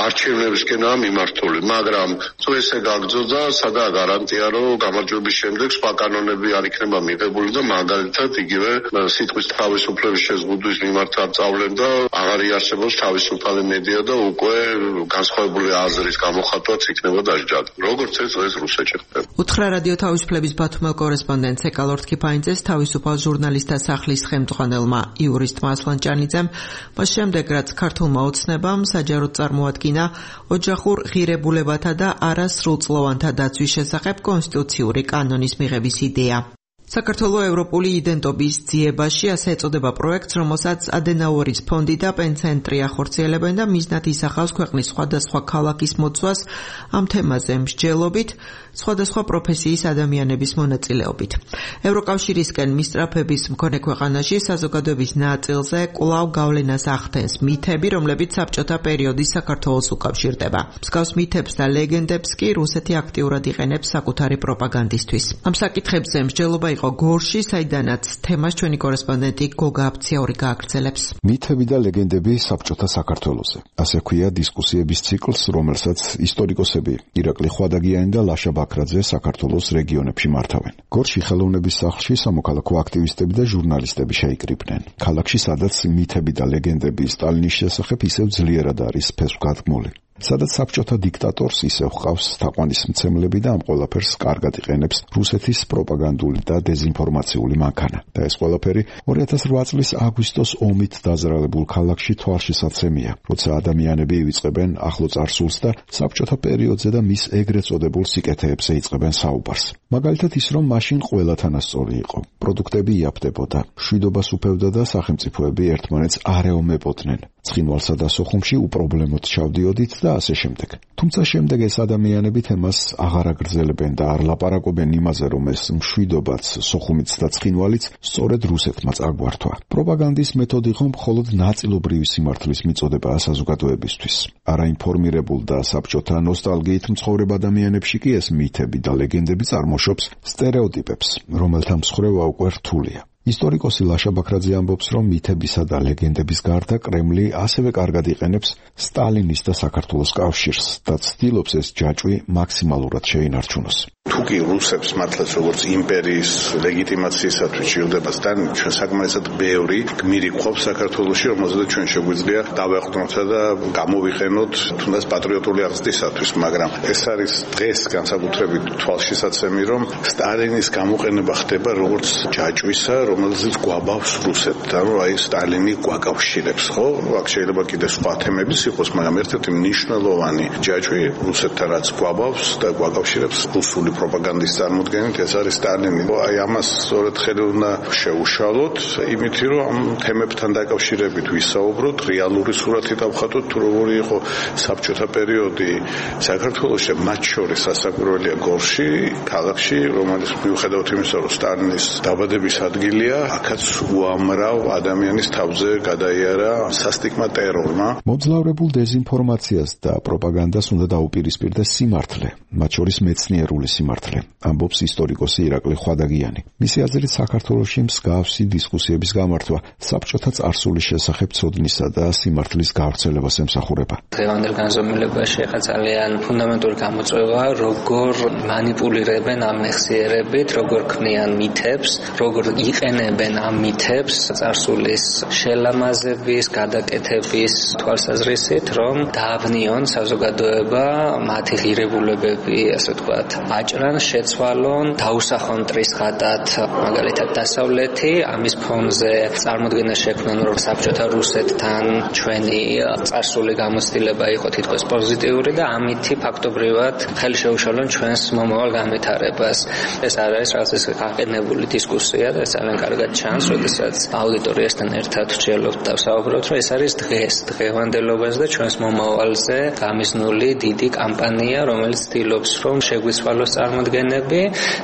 არჩევნებისკენაა მიმართული, მაგრამ თუ ესე გაგრძელდა, სადაა გარანტია, რომ გამარჯვების შემდეგ სხვა კანონები არ იქნება მიღებული და მაგალითად იგივე სიტყვის თავისუფლების შეზღუდვის მიმართ არ წავლენ და აღარ იარსებობს თავისუფალი მედია და უკვე განსხვავებული აზრის გამოხატვაც იქნება დასჯად. როგორც ეს რუსეთში ხდება. უთხრა რადიო თავისუფლების ბათუმელ კორესპონდენტ ეკალორდ კიფაინძეს თავისუფალ ჟურნალისტთა სახლის ხელმძღვანელმა იურისტმა ასლან ჭანიძემ, მას შემდეგ რაც ქართულმა ოცნებამ საჯაროდ წარმოადგინა ოჯახურ ღირებულებათა და არასრულწლოვანთა დაცვის შესახებ კონსტიტუციური კანონის მიღების იდეა. საქართველოს ევროპული იდენტობის ძიებაში ასე ეწოდება პროექტს, რომელსაც ადენაუერის ფონდი და პენცენტრი ახორციელებენ და მიზნად ისახავს ქვეყნის სხვადასხვა ქალაქის მოწვას ამ თემაზე მსჯელობით, სხვადასხვა პროფესიის ადამიანების მონაწილეობით. ევროკავშირისკენ მისწრაფების მქონე ქვეყანაში საზოგადოების ნაწილზე კვლავ გავლენას ახდენს მითები, რომლებიც საბჭოთა პერიოდის საქართველოს უკავშირდება. მსგავს მითებს და ლეგენდებს კი რუსეთი აქტიურად იყენებს საკუთარი პროპაგანდისთვის. ამ საკითხებზე მსჯელობა იყო გორში, საიდანაც თემას ჩვენი კორესპონდენტი გოგა აფციაური გააგრძელებს. მითები და ლეგენდები საბჭოთა საქართველოზე. ასე ქვია დისკუსიების ციკლს, რომელსაც ისტორიკოსები ირაკლი ხვადაგიანი და ლაშა ბაქრაძე საქართველოს რეგიონებში მართავენ. გორში ხელოვნების სახლში სამოქალაქო აქტივისტები და ჟურნალისტები შეიკრიბნენ. ქალაქში, სადაც მითები და ლეგენდები სტალინის შესახებ ისევ ძლიერად არის ფესვგადგმული. სადაც საბჭოთა დიქტატორს ისევ ჰყავს თაყვანისმცემლები და ამ ყველაფერს კარგად იყენებს რუსეთის პროპაგანდული და დეზინფორმაციული მანქანა. და ეს ყველაფერი 2008 წლის აგვისტოს ომით დაზრალებულ ქალაქში თვალშისაცემია, როცა ადამიანები ივიწყებენ ახლო წარსულს და საბჭოთა პერიოდზე და მის ეგრეთ წოდებულ სიკეთეებზე იწყებენ საუბარს. მაგალითად ის, რომ მაშინ ყველა თანასწორი იყო, პროდუქტები იაფდებოდა, მშვიდობას უფევდა და სახელმწიფოები ერთმანეთს არ ეომებოდნენ. ცხინვალსა და სოხუმში უპრობლემოდ ჩავდიოდით და ასე შემდეგ. თუმცა შემდეგ ეს ადამიანები თემას აღარ აგრძელებენ და არ ლაპარაკობენ იმაზე, რომ ეს მშვიდობაც, სოხუმიც და ცხინვალიც სწორედ რუსეთმა წაგვართვა. პროპაგანდის მეთოდი ხომ მხოლოდ ნაწილობრივი სიმართლის მიწოდებაა საზოგადოებისთვის. არაინფორმირებულ და საბჭოთა ნოსტალგიით მცხოვრებ ადამიანებში კი ეს მითები და ლეგენდები წარმოშობს სტერეოტიპებს, რომელთა მსხვერპლობა უკვე რთულია. ისტორიკოსი ლაშა ბაქრაძე ამბობს, რომ მითებისა და ლეგენდების გარდა კრემლი ასევე კარგად იყენებს სტალინის და საქართველოს კავშირს და ცდილობს ეს ჯაჭვი მაქსიმალურად შეინარჩუნოს. თუკი რუსებს მართლაც როგორც იმპერიის ლეგიტიმაციისათვის ჭირდება სტალინი, ჩვენ საკმარისად ბევრი გმირი გვყავს საქართველოში, რომელზეც ჩვენ შეგვიძლია დავაყრდნოთ და გამოვიყენოთ თუნდაც პატრიოტული აღზრდისათვის, მაგრამ ეს არის დღეს განსაკუთრებით თვალშისაცემი, რომ სტალინის გამოყენება ხდება როგორც ჯაჭვისა, რომელზეც გვაბავს რუსეთთან, რომ აი სტალინი გვაკავშირებს, ხო? აქ შეიძლება კიდე სხვა თემებიც იყოს, მაგრამ ერთ-ერთი მნიშვნელოვანი ჯაჭვი რუსეთთან რაც გვაბავს და გვაკავშირებს რუსული პროპაგანდის წარმოდგენით, ეს არის სტალინი. აი ამას სწორედ ხელი უნდა შეუშალოთ, იმით რომ ამ თემებთან დაკავშირებით ვისაუბროთ, რეალური სურათი დავხატოთ, თუ როგორი იყო საბჭოთა პერიოდი საქართველოში, მათ შორის სასაკვირველია გორში, ქალაქში, რომელიც მიუხედავად იმისა, რომ სტალინის დაბადების ადგილია, აქაც უამრავ ადამიანის თავზე გადაიარა სასტიკმა ტერორმა. მომძლავრებულ დეზინფორმაციას და პროპაგანდას უნდა დაუპირისპირდეს სიმართლე, მათ შორის მეცნიერული სიმართლე, ამბობს ისტორიკოსი ირაკლი ხვადაგიანი. მისი აზრით საქართველოში მსგავსი დისკუსიების გამართვა საბჭოთა წარსულის შესახებ ცოდნისა და სიმართლის გავრცელებას ემსახურება. დღევანდელ განზომილებაში ახლა ძალიან ფუნდამენტური გამოწვევა, როგორ მანიპულირებენ ამ მეხსიერებით, როგორ ქმნიან მითებს, როგორ იყენებენ ამ მითებს წარსულის შელამაზების, გადაკეთების თვალსაზრისით, რომ დაავნიონ საზოგადოება მათი ღირებულებები, ასე ვთქვათ, აჭრან, შეცვალონ, დაუსახონ ტრისხატად, მაგალითად დასავლეთი, ამის ფონზე წარმოდგენა შექმნან, რომ საბჭოთა რუსეთთან ჩვენი წარსული გამოცდილება იყო თითქოს პოზიტიური და ამითი ფაქტობრივად ხელი შეუშალონ ჩვენს მომავალ განვითარებას. ეს არ არის რაღაც ეს გაყენებული დისკუსია და ძალიან კარგად ჩანს, როდესაც აუდიტორიასთან ერთად ვჭიელობთ და ვსაუბრობთ, რომ ეს არის დღევანდელობაზე და ჩვენს მომავალზე გამიზნული დიდი კამპანია, რომელიც ცდილობს, რომ შეგვიცვალოს წარმოდგენები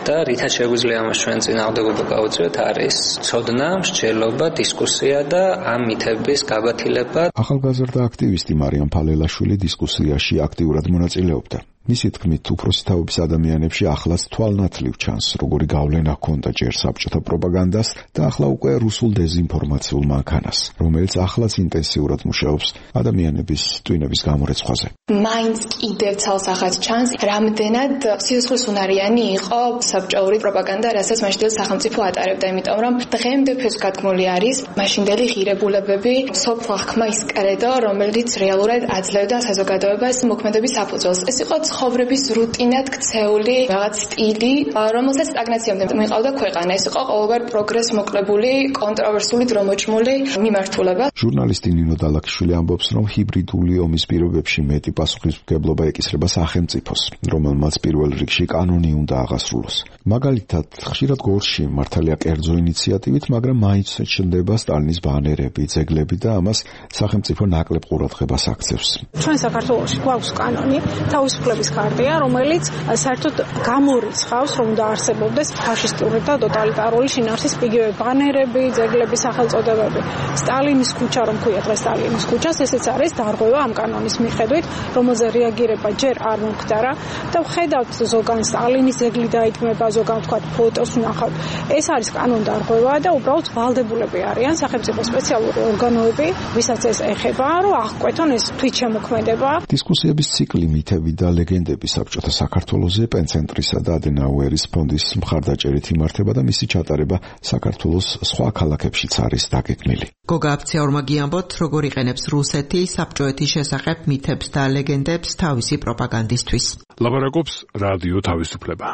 და რითაც შეგვიძლია ამას ჩვენ წინააღმდეგობა გავუწიოთ, არის ცოდნა, მსჯელობა, დისკუსია და ამ მითების გაგვათილება. ახალგაზრდა აქტივისტი მარიამ ფალელაშვილი დისკუსიაში აქტიურად მონაწილეობდა. მისი თქმით, უფროსი თაობის ადამიანებში ახლაც თვალნათლივ ჩანს, როგორი გავლენა ჰქონდა ჯერ საბჭოთა პროპაგანდას და ახლა უკვე რუსულ დეზინფორმაციულ მანქანას, რომელიც ახლაც ინტენსიურად მუშაობს ადამიანების ტვინების გამორეცხვაზე. მაინც კიდევ ცალსახად ჩანს, რამდენად სიცოცხლისუნარიანი იყო საბჭოური პროპაგანდა, რასაც მაშინდელი სახელმწიფო ატარებდა, იმიტომ რომ დღემდე ფესვგადგმული არის მაშინდელი ღირებულებები, სოფლ აღქმა ის კრედო, რომელიც რეალურად აძლევდა საზოგადოებას მოქმედების საფუძველს. ეს იყო ცხოვრების რუტინად ქცეული რაღაც სტილი, რომელსაც სტაგნაციამდე მიყავდა ქვეყანა. ეს იყო ყოველგვარ პროგრესს მოკლებული, კონტროვერსული, დრომოჭმული მიმართულება. ჟურნალისტი ნინო დალაქიშვილი ამბობს, რომ ჰიბრიდული ომის პირობებში მეტი პასუხისმგებლობა ეკისრება სახელმწიფოს, რომელმაც პირველ რიგში კანონი უნდა აღასრულოს. მაგალითად, ხშირად გორში მართალია კერძო ინიციატივით, მაგრამ მაინც ჩნდება სტალინის ბანერები, ძეგლები და ამას სახელმწიფო ნაკლებ ყურადღებას აქცევს. ჩვენ საქართველოში გვაქვს კანონი, თავისუფლების ქარტია, რომელიც საერთოდ გამორიცხავს, რომ დაარსებობდეს ფაშისტური და ტოტალიტარული შინაარსის იგივე ბანერები, ძეგლები, სახელწოდებები. სტალინის ქუჩა, რომ ქვია დღეს სტალინის ქუჩას, ესეც არის დარღვევა ამ კანონის მიხედვით, რომელზე რეაგირება ჯერ არ მომხდარა და ვხედავთ ზოგან სტალინის ძეგლი დაიქმება, ზოგან ვთქვათ ფოტოს ვნახავთ. ეს არის კანონდარღვევა და უბრალოდ ვალდებულები არიან სახელმწიფო სპეციალური ორგანოები, ვისაც ეს ეხება, რომ აღკვეთონ ეს თვითშემოქმედება. დისკუსიების ციკლი მითები და ლეგენდები საბჭოთა საქართველოზე პენცენტრისა და ადენაუერის ფონდის მხარდაჭერით იმართება და მისი ჩატარება საქართველოს სხვა ქალაქებშიც არის დაგეგმილი. გოგა აფციაურმა გიამბოთ, როგორ იყენებს რუსეთი საბჭოეთის შესახებ მითებს და ლეგენდებს თავისი პროპაგანდისთვის. ლაპარაკობს რადიო თავისუფლება.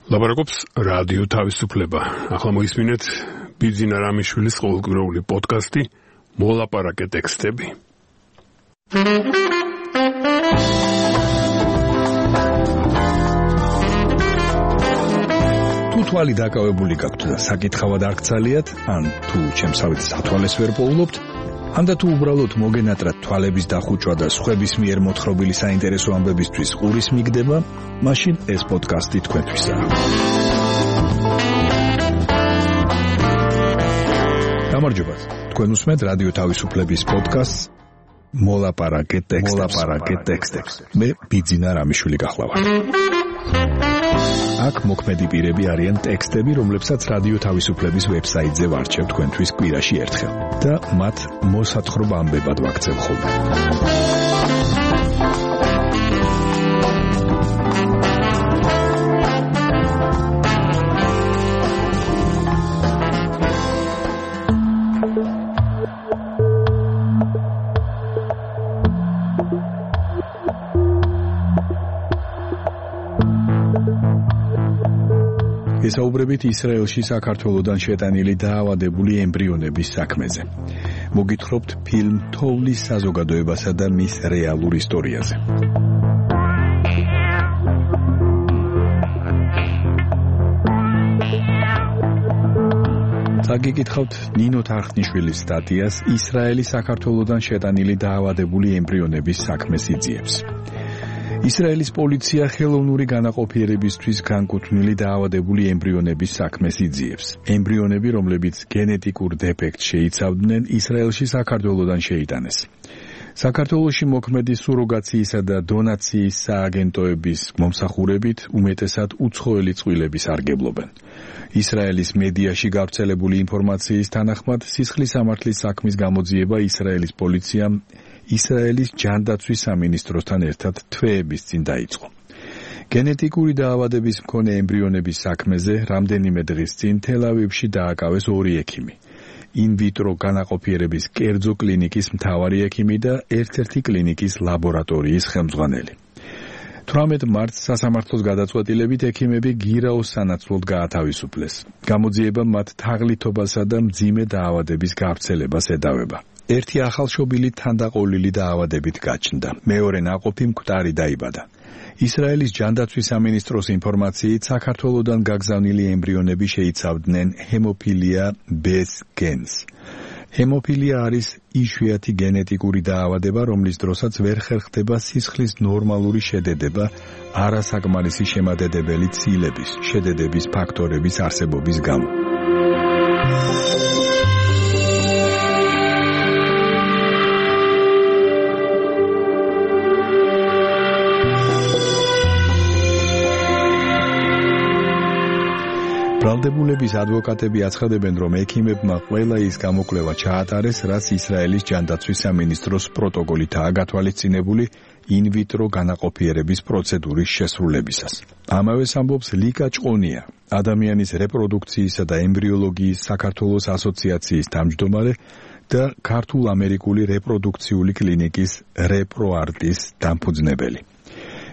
ლაპარაკობს რადიო თავისუფლება. ახლა მოისმინეთ ბიძინა რამიშვილის ყოველკვირეული პოდკასტი მოლაპარაკე ტექსტები. თუ თვალი დაკავებული გაქვთ და საკითხავად არ გცალიათ, ან თუ ჩემსავით სათვალეს ვერ პოულობთ, ან და თუ უბრალოდ მოგენატრათ თვალების დახუჭვა და სხვების მიერ მოთხრობილი საინტერესო ამბებისთვის ყურის მიგდება, მაშინ ეს პოდკასტი თქვენთვისაა. გამარჯობათ. თქვენ უსმენთ რადიო თავისუფლების პოდკასტს მოლაპარაკე ტექსტებს. მე ბიძინა რამიშვილი გახლავართ. აქ მოქმედი პირები არიან ტექსტები, რომლებსაც რადიო თავისუფლების ვებსაიტზე ვარჩევ თქვენთვის კვირაში ერთხელ და მათ მოსათხრობ ამბებად ვაქცევ ხოლმე. გესაუბრებით ისრაელში საქართველოდან შეტანილი დაავადებული ემბრიონების საქმეზე. მოგითხრობთ ფილმ თოვლის საზოგადოებასა და მის რეალურ ისტორიაზე. გიგითხავთ ნინო თარხნიშვილის სტატიას ისრაელი საქართველოდან შეტანილი დაავადებული ემბრიონების საქმეს იძიებს. ისრაელის პოლიცია ხელოვნური განაყოფიერებისთვის განკუთვნილი დაავადებული ემბრიონების საქმეს იძიებს. ემბრიონები, რომლებიც გენეტიკურ დეფექტს შეიცავდნენ, ისრაელში საქართველოდან შეიტანეს. საქართველოში მოქმედი სუროგაციისა და დონაციის სააგენტოების მომსახურებით უმეტესად უცხოელი წყვილები სარგებლობენ. ისრაელის მედიაში გავრცელებული ინფორმაციის თანახმად, სისხლის სამართლის საქმის გამოძიება ისრაელის პოლიციამ ისრაელის ჯანდაცვის სამინისტროსთან ერთად თვეების წინ დაიწყო. გენეტიკური დაავადების მქონე ემბრიონების საქმეზე რამდენიმე დღის წინ თელ-ავივში დააკავეს 2 ექიმი. ინვიტრო განაყოფიერების კერძო კლინიკის მთავარი ექიმი და ერთ-ერთი კლინიკის ლაბორატორიის ხელმძღვანელი. 18 მარტს სასამართლოს გადაწყვეტილებით ექიმები გირაოს სანაცვლოდ გაათავისუფლეს. გამოძიება მათ თაღლითობასა და მძიმე დაავადების გავრცელებას ედავება. ერთი ახალშობილი თანდაყოლილი დაავადებით გაჩნდა. მეორე ნაყოფი მკვდარი დაიბადა. ისრაელის ჯანდაცვის სამინისტროს ინფორმაციით საქართველოდან გაგზავნილი ემბრიონები შეიცავდნენ ჰემოფილია B-ს გენს. ჰემოფილია არის იშვიათი გენეტიკური დაავადება, რომლის დროსაც ვერ ხერხდება სისხლის ნორმალური შედედება არასაკმარისი შემადედებელი ცილების, შედედების ფაქტორების არსებობის გამო. ბრალდებულების ადვოკატები აცხადებენ, რომ ექიმებმა ყველა ის გამოკვლევა ჩაატარეს, რაც ისრაელის ჯანდაცვის სამინისტროს პროტოკოლითაა გათვალისწინებული ინვიტრო განაყოფიერების პროცედურის შესრულებისას. ამავეს ამბობს ლიკა ჭყონია, ადამიანის რეპროდუქციისა და ემბრიოლოგიის საქართველოს ასოციაციის თავმჯდომარე და ქართულ-ამერიკული რეპროდუქციული კლინიკის რეპროარტის დამფუძნებელი.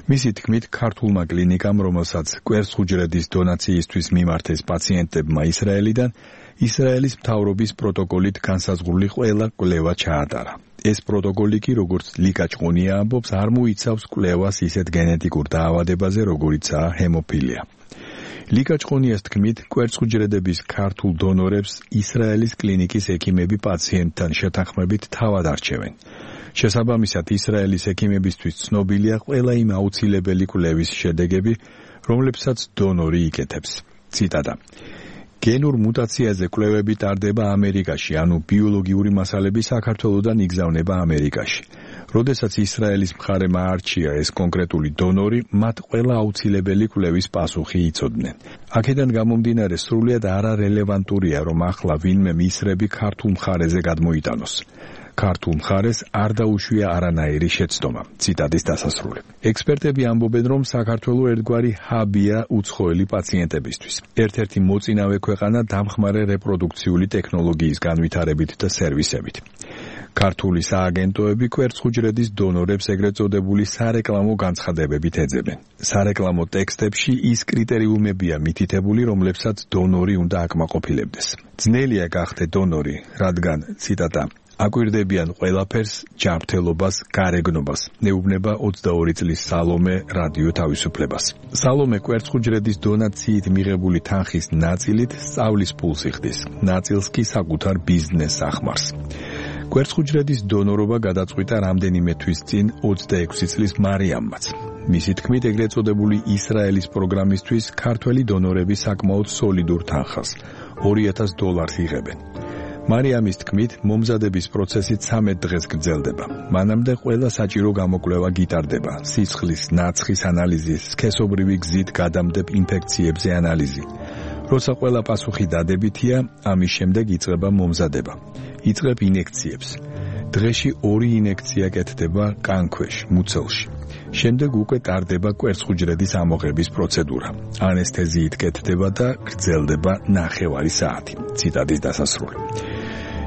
მისი თქმით, ქართულმა კლინიკამ, რომელსაც კვერცხუჯრედის დონაციისთვის მიმართეს პაციენტებმა ისრაელიდან, ისრაელის მთავრობის პროტოკოლით განსაზღვრული ყველა კვლევა ჩაატარა. ეს პროტოკოლი კი, როგორც ლიკა ჭყონია ამბობს, არ მოიცავს კვლევას ისეთ გენეტიკურ დაავადებაზე, როგორიცაა ჰემოფილია. ლიკა ჭყონიას თქმით, კვერცხუჯრედების ქართულ დონორებს ისრაელის კლინიკის ექიმები პაციენტთან შეთანხმებით თავად არჩევენ. შესაბამისად, ისრაელის ექიმებისთვის ცნობილია ყველა იმ აუცილებელი კვლევის შედეგები, რომლებსაც დონორი იკეთებს. ციტატა: გენურ მუტაციაზე კვლევები ტარდება ამერიკაში, ანუ ბიოლოგიური მასალები საქართველოდან იგზავნება ამერიკაში. როდესაც ისრაელის მხარემ აარჩია ეს კონკრეტული დონორი, მათ ყველა აუცილებელი კვლევის პასუხი იცოდნენ. აქედან გამომდინარე, სრულიად არარელევანტურია, რომ ახლა ვინმე მისრები ქართულ მხარეზე გადმოიტანოს. ქართულ მხარეს არ დაუშვია არანაირი შეცდომა. ციტატის დასასრული. ექსპერტები ამბობენ, რომ საქართველო ერთგვარი ჰაბია უცხოელი პაციენტებისთვის. ერთ-ერთი მოწინავე ქვეყანა დამხმარე რეპროდუქციული ტექნოლოგიის განვითარებით და სერვისებით. ქართული სააგენტოები კვერცხუჯრედის დონორებს ეგრეთ წოდებული სარეკლამო განცხადებებით ეძებენ. სარეკლამო ტექსტებში ის კრიტერიუმებია მითითებული, რომლებსაც დონორი უნდა აკმაყოფილებდეს. ძნელია გახდე დონორი, რადგან, ციტატა, აკვირდებიან ყველაფერს, ჯანმრთელობას, გარეგნობას, neubნება 22 წლის სალომე რადიო თავისუფლებას. სალომე კვერცხუჯრედის დონაციით მიღებული თანხის ნაწილით სწავლის ფულს იხდის, ნაწილს კი საკუთარ ბიზნესს ახმარს. კვერცხუჯრედის დონორობა გადაწყვიტა რამდენიმე თვის წინ 26 წლის მარიამმაც. მისი თქმით, ეგრეთ წოდებული ისრაელის პროგრამისთვის ქართველი დონორები საკმაოდ სოლიდურ თანხას, $2000 იღებენ. მარიამის თქმით, მომზადების პროცესი 13 დღეს გრძელდება. მანამდე ყველა საჭირო გამოკვლევა გიტარდება: სისხლის, ნაცხის ანალიზი, სქესობრივი გზით გადამდებ ინფექციებზე ანალიზი. როცა ყველა პასუხი დადებითია, ამის შემდეგ იწყება მომზადება. იწყებ ინექციებს. დღეში 2 ინექცია კეთდება კანქვეშ, მუცელში. შემდეგ უკვე ტარდება კვერცხუჯრედის ამოღების პროცედურა. ანესთეზიით კეთდება და გრძელდება 9 საათი. ციტატის დასასრული.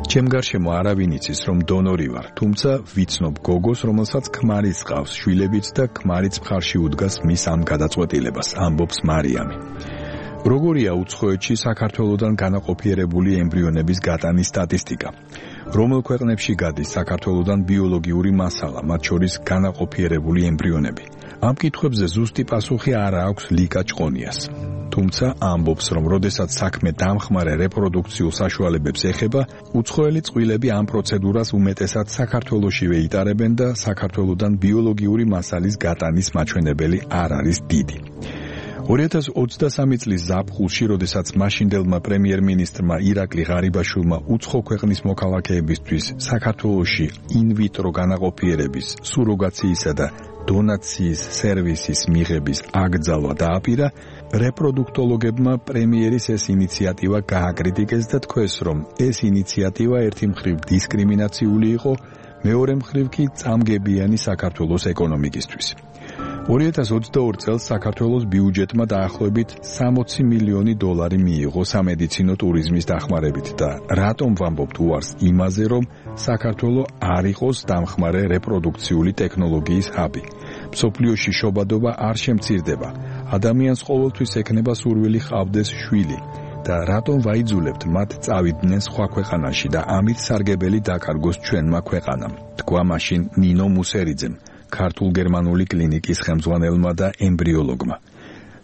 ჩემ გარშემო არავინ იცის, რომ დონორი ვარ, თუმცა ვიცნობ გოგოს, რომელსაც ქმარიც ჰყავს, შვილებიც და ქმარიც მხარში უდგას მის ამ გადაწყვეტილებას, ამბობს მარიამი. როგორია უცხოეთში საქართველოდან განაყოფიერებული ემბრიონების გატანის სტატისტიკა? რომელ ქვეყნებში გადის საქართველოდან ბიოლოგიური მასალა, მათ შორის განაყოფიერებული ემბრიონები? ამ კითხვებზე ზუსტი პასუხი არ აქვს ლიკა ჭყონიას. თუმცა ამბობს, რომ როდესაც საქმე დამხმარე რეპროდუქციულ საშუალებებს ეხება, უცხოელი წყვილები ამ პროცედურას უმეტესად საქართველოშივე იტარებენ და საქართველოდან ბიოლოგიური მასალის გატანის მაჩვენებელი არ არის დიდი. 2023 წლის ზაფხულში, როდესაც მაშინდელმა პრემიერ-მინისტრმა ირაკლი ღარიბაშვილმა უცხო ქვეყნის მოქალაქეებისთვის საქართველოში ინვიტრო განაყოფიერების, სუროგაციისა და დონაციის სერვისის მიღების აკრძალვა დააპირა, რეპროდუქტოლოგებმა პრემიერის ეს ინიციატივა გააკრიტიკეს და თქვეს, რომ ეს ინიციატივა ერთი მხრივ დისკრიმინაციული იყო, მეორე მხრივ კი წამგებიანი საქართველოს ეკონომიკისთვის. 2022 წელს საქართველოს ბიუჯეტმა დაახლოებით $60 მილიონი მიიღო სამედიცინო ტურიზმის დახმარებით და რატომ ვამბობთ უარს იმაზე, რომ საქართველო არ იყოს დამხმარე რეპროდუქციული ტექნოლოგიის ჰაბი. მსოფლიოში შობადობა არ შემცირდება, ადამიანს ყოველთვის ექნება სურვილი ჰყავდეს შვილი და რატომ ვაიძულებთ მათ წავიდნენ სხვა ქვეყანაში და ამით სარგებელი დაკარგოს ჩვენმა ქვეყანამ, თქვა მაშინ ნინო მუსერიძემ, ქართულ-გერმანული კლინიკის ხელმძღვანელმა და ემბრიოლოგმა.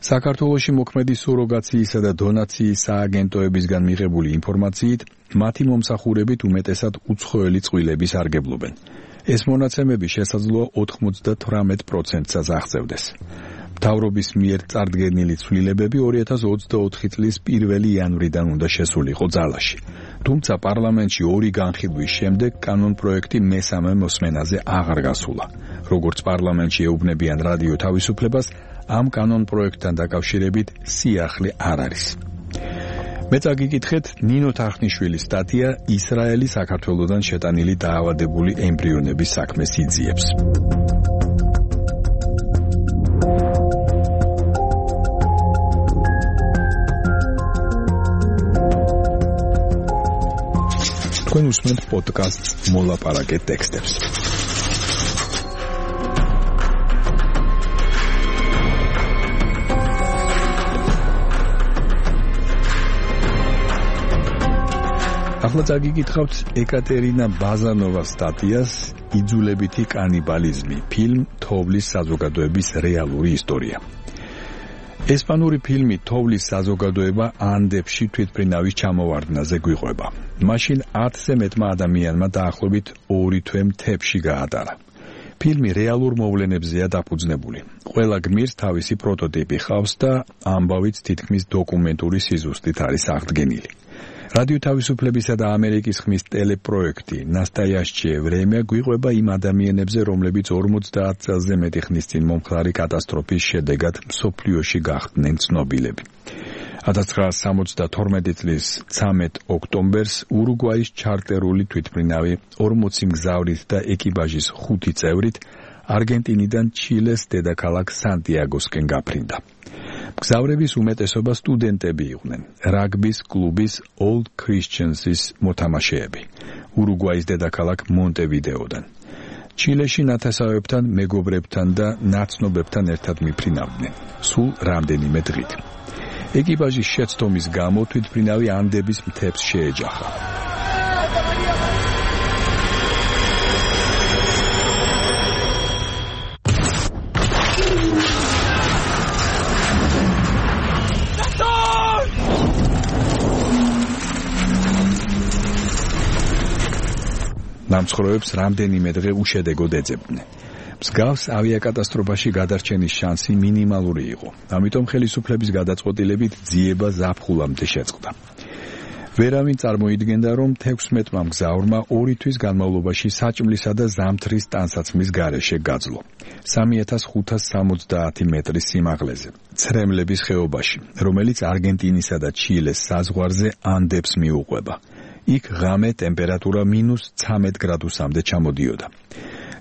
საქართველოში მოქმედი სუროგაციისა და დონაციის სააგენტოებისგან მიღებული ინფორმაციით, მათი მომსახურებით უმეტესად უცხოელი წყვილები სარგებლობენ. ეს მონაცემები შესაძლოა 98%-საც აღწევდეს. მთავრობის მიერ წარდგენილი ცვლილებები 2024 წლის 1 იანვრიდან უნდა შესულიყო ძალაში. თუმცა პარლამენტში 2 განხილვის შემდეგ კანონპროექტი მესამე მოსმენაზე აღარ გასულა. როგორც პარლამენტში ეუბნებიან რადიო თავისუფლებას, ამ კანონპროექტთან დაკავშირებით სიახლე არ არის. მე წაგიკითხეთ ნინო თახნიშვილის სტატია ისრაელის საქართველოდან შეტანილი დაავადებული ემბრიონების საქმეს იძიებს. თქვენ უსმენთ პოდკასტს მოლაპარაკე ტექსტებს. ახლა წაგიკითხავთ ეკატერინა ბაზანოვას სტატიას იძულებითი კანიბალიზმი, ფილმ თოვლის საზოგადოების რეალური ისტორია. ესპანური ფილმი თოვლის საზოგადოება ანდებში თვითმფრინავის ჩამოვარდნაზე გვიყვება. მაშინ 10-ზე მეტმა ადამიანმა დაახლოებით 2 თვე მთებში გაატარა. ფილმი რეალურ მოვლენებზეა დაფუძნებული. ყველა გმირს თავისი პროტოტიპი ჰყავს და ამბავიც თითქმის დოკუმენტური სიზუსტით არის აღდგენილი. რადიო თავისუფლებისა და ამერიკის ხმის ტელეპროექტი ნასტაიაშჩიე ვრემია გვიყვება იმ ადამიანებზე, რომლებიც 50 წელზე მეტი ხნის წინ მომხდარი კატასტროფის შედეგად მსოფლიოში გახდნენ ცნობილები. 1972 წლის 13 ოქტომბერს ურუგვაის ჩარტერული თვითმფრინავი 40 მგზავრით და ეკიპაჟის 5 წევრით არგენტინიდან ჩილეს დედაქალაქ სანტიაგოსკენ გაფრინდა. მგზავრების უმეტესობა სტუდენტები იყვნენ, რაგბის კლუბის Old Christians-ის მოთამაშეები, ურუგვაის დედაქალაქ მონტევიდეოდან. ჩილეში ნათესავებთან, მეგობრებთან და ნაცნობებთან ერთად მიფრინავდნენ, სულ რამდენიმე დღით. ეკიპაჟის შეცდომის გამო თვითმფრინავი ანდების მთებს შეეჯახა. დამცხროებს რამდენიმე დღე უშედეგოდ ეძებდნენ. მსგავს ავიაკატასტროფაში გადარჩენის შანსი მინიმალური იყო. ამიტომ ხელისუფლების გადაწყვეტილებით ძიება ზაფხულამდე შეწყდა. ვერავინ წარმოიდგენდა, რომ 16-მა მგზავრმა 2 თვის განმავლობაში საჭმლისა და ზამთრის ტანსაცმლის გარეშე გაძლო. 3570 მეტრის სიმაღლეზე, ცრემლების ხეობაში, რომელიც არგენტინისა და ჩილეს საზღვარზე ანდებს მიუყვება. იქ ღამე ტემპერატურა -13 გრადუსამდე ჩამოდიოდა.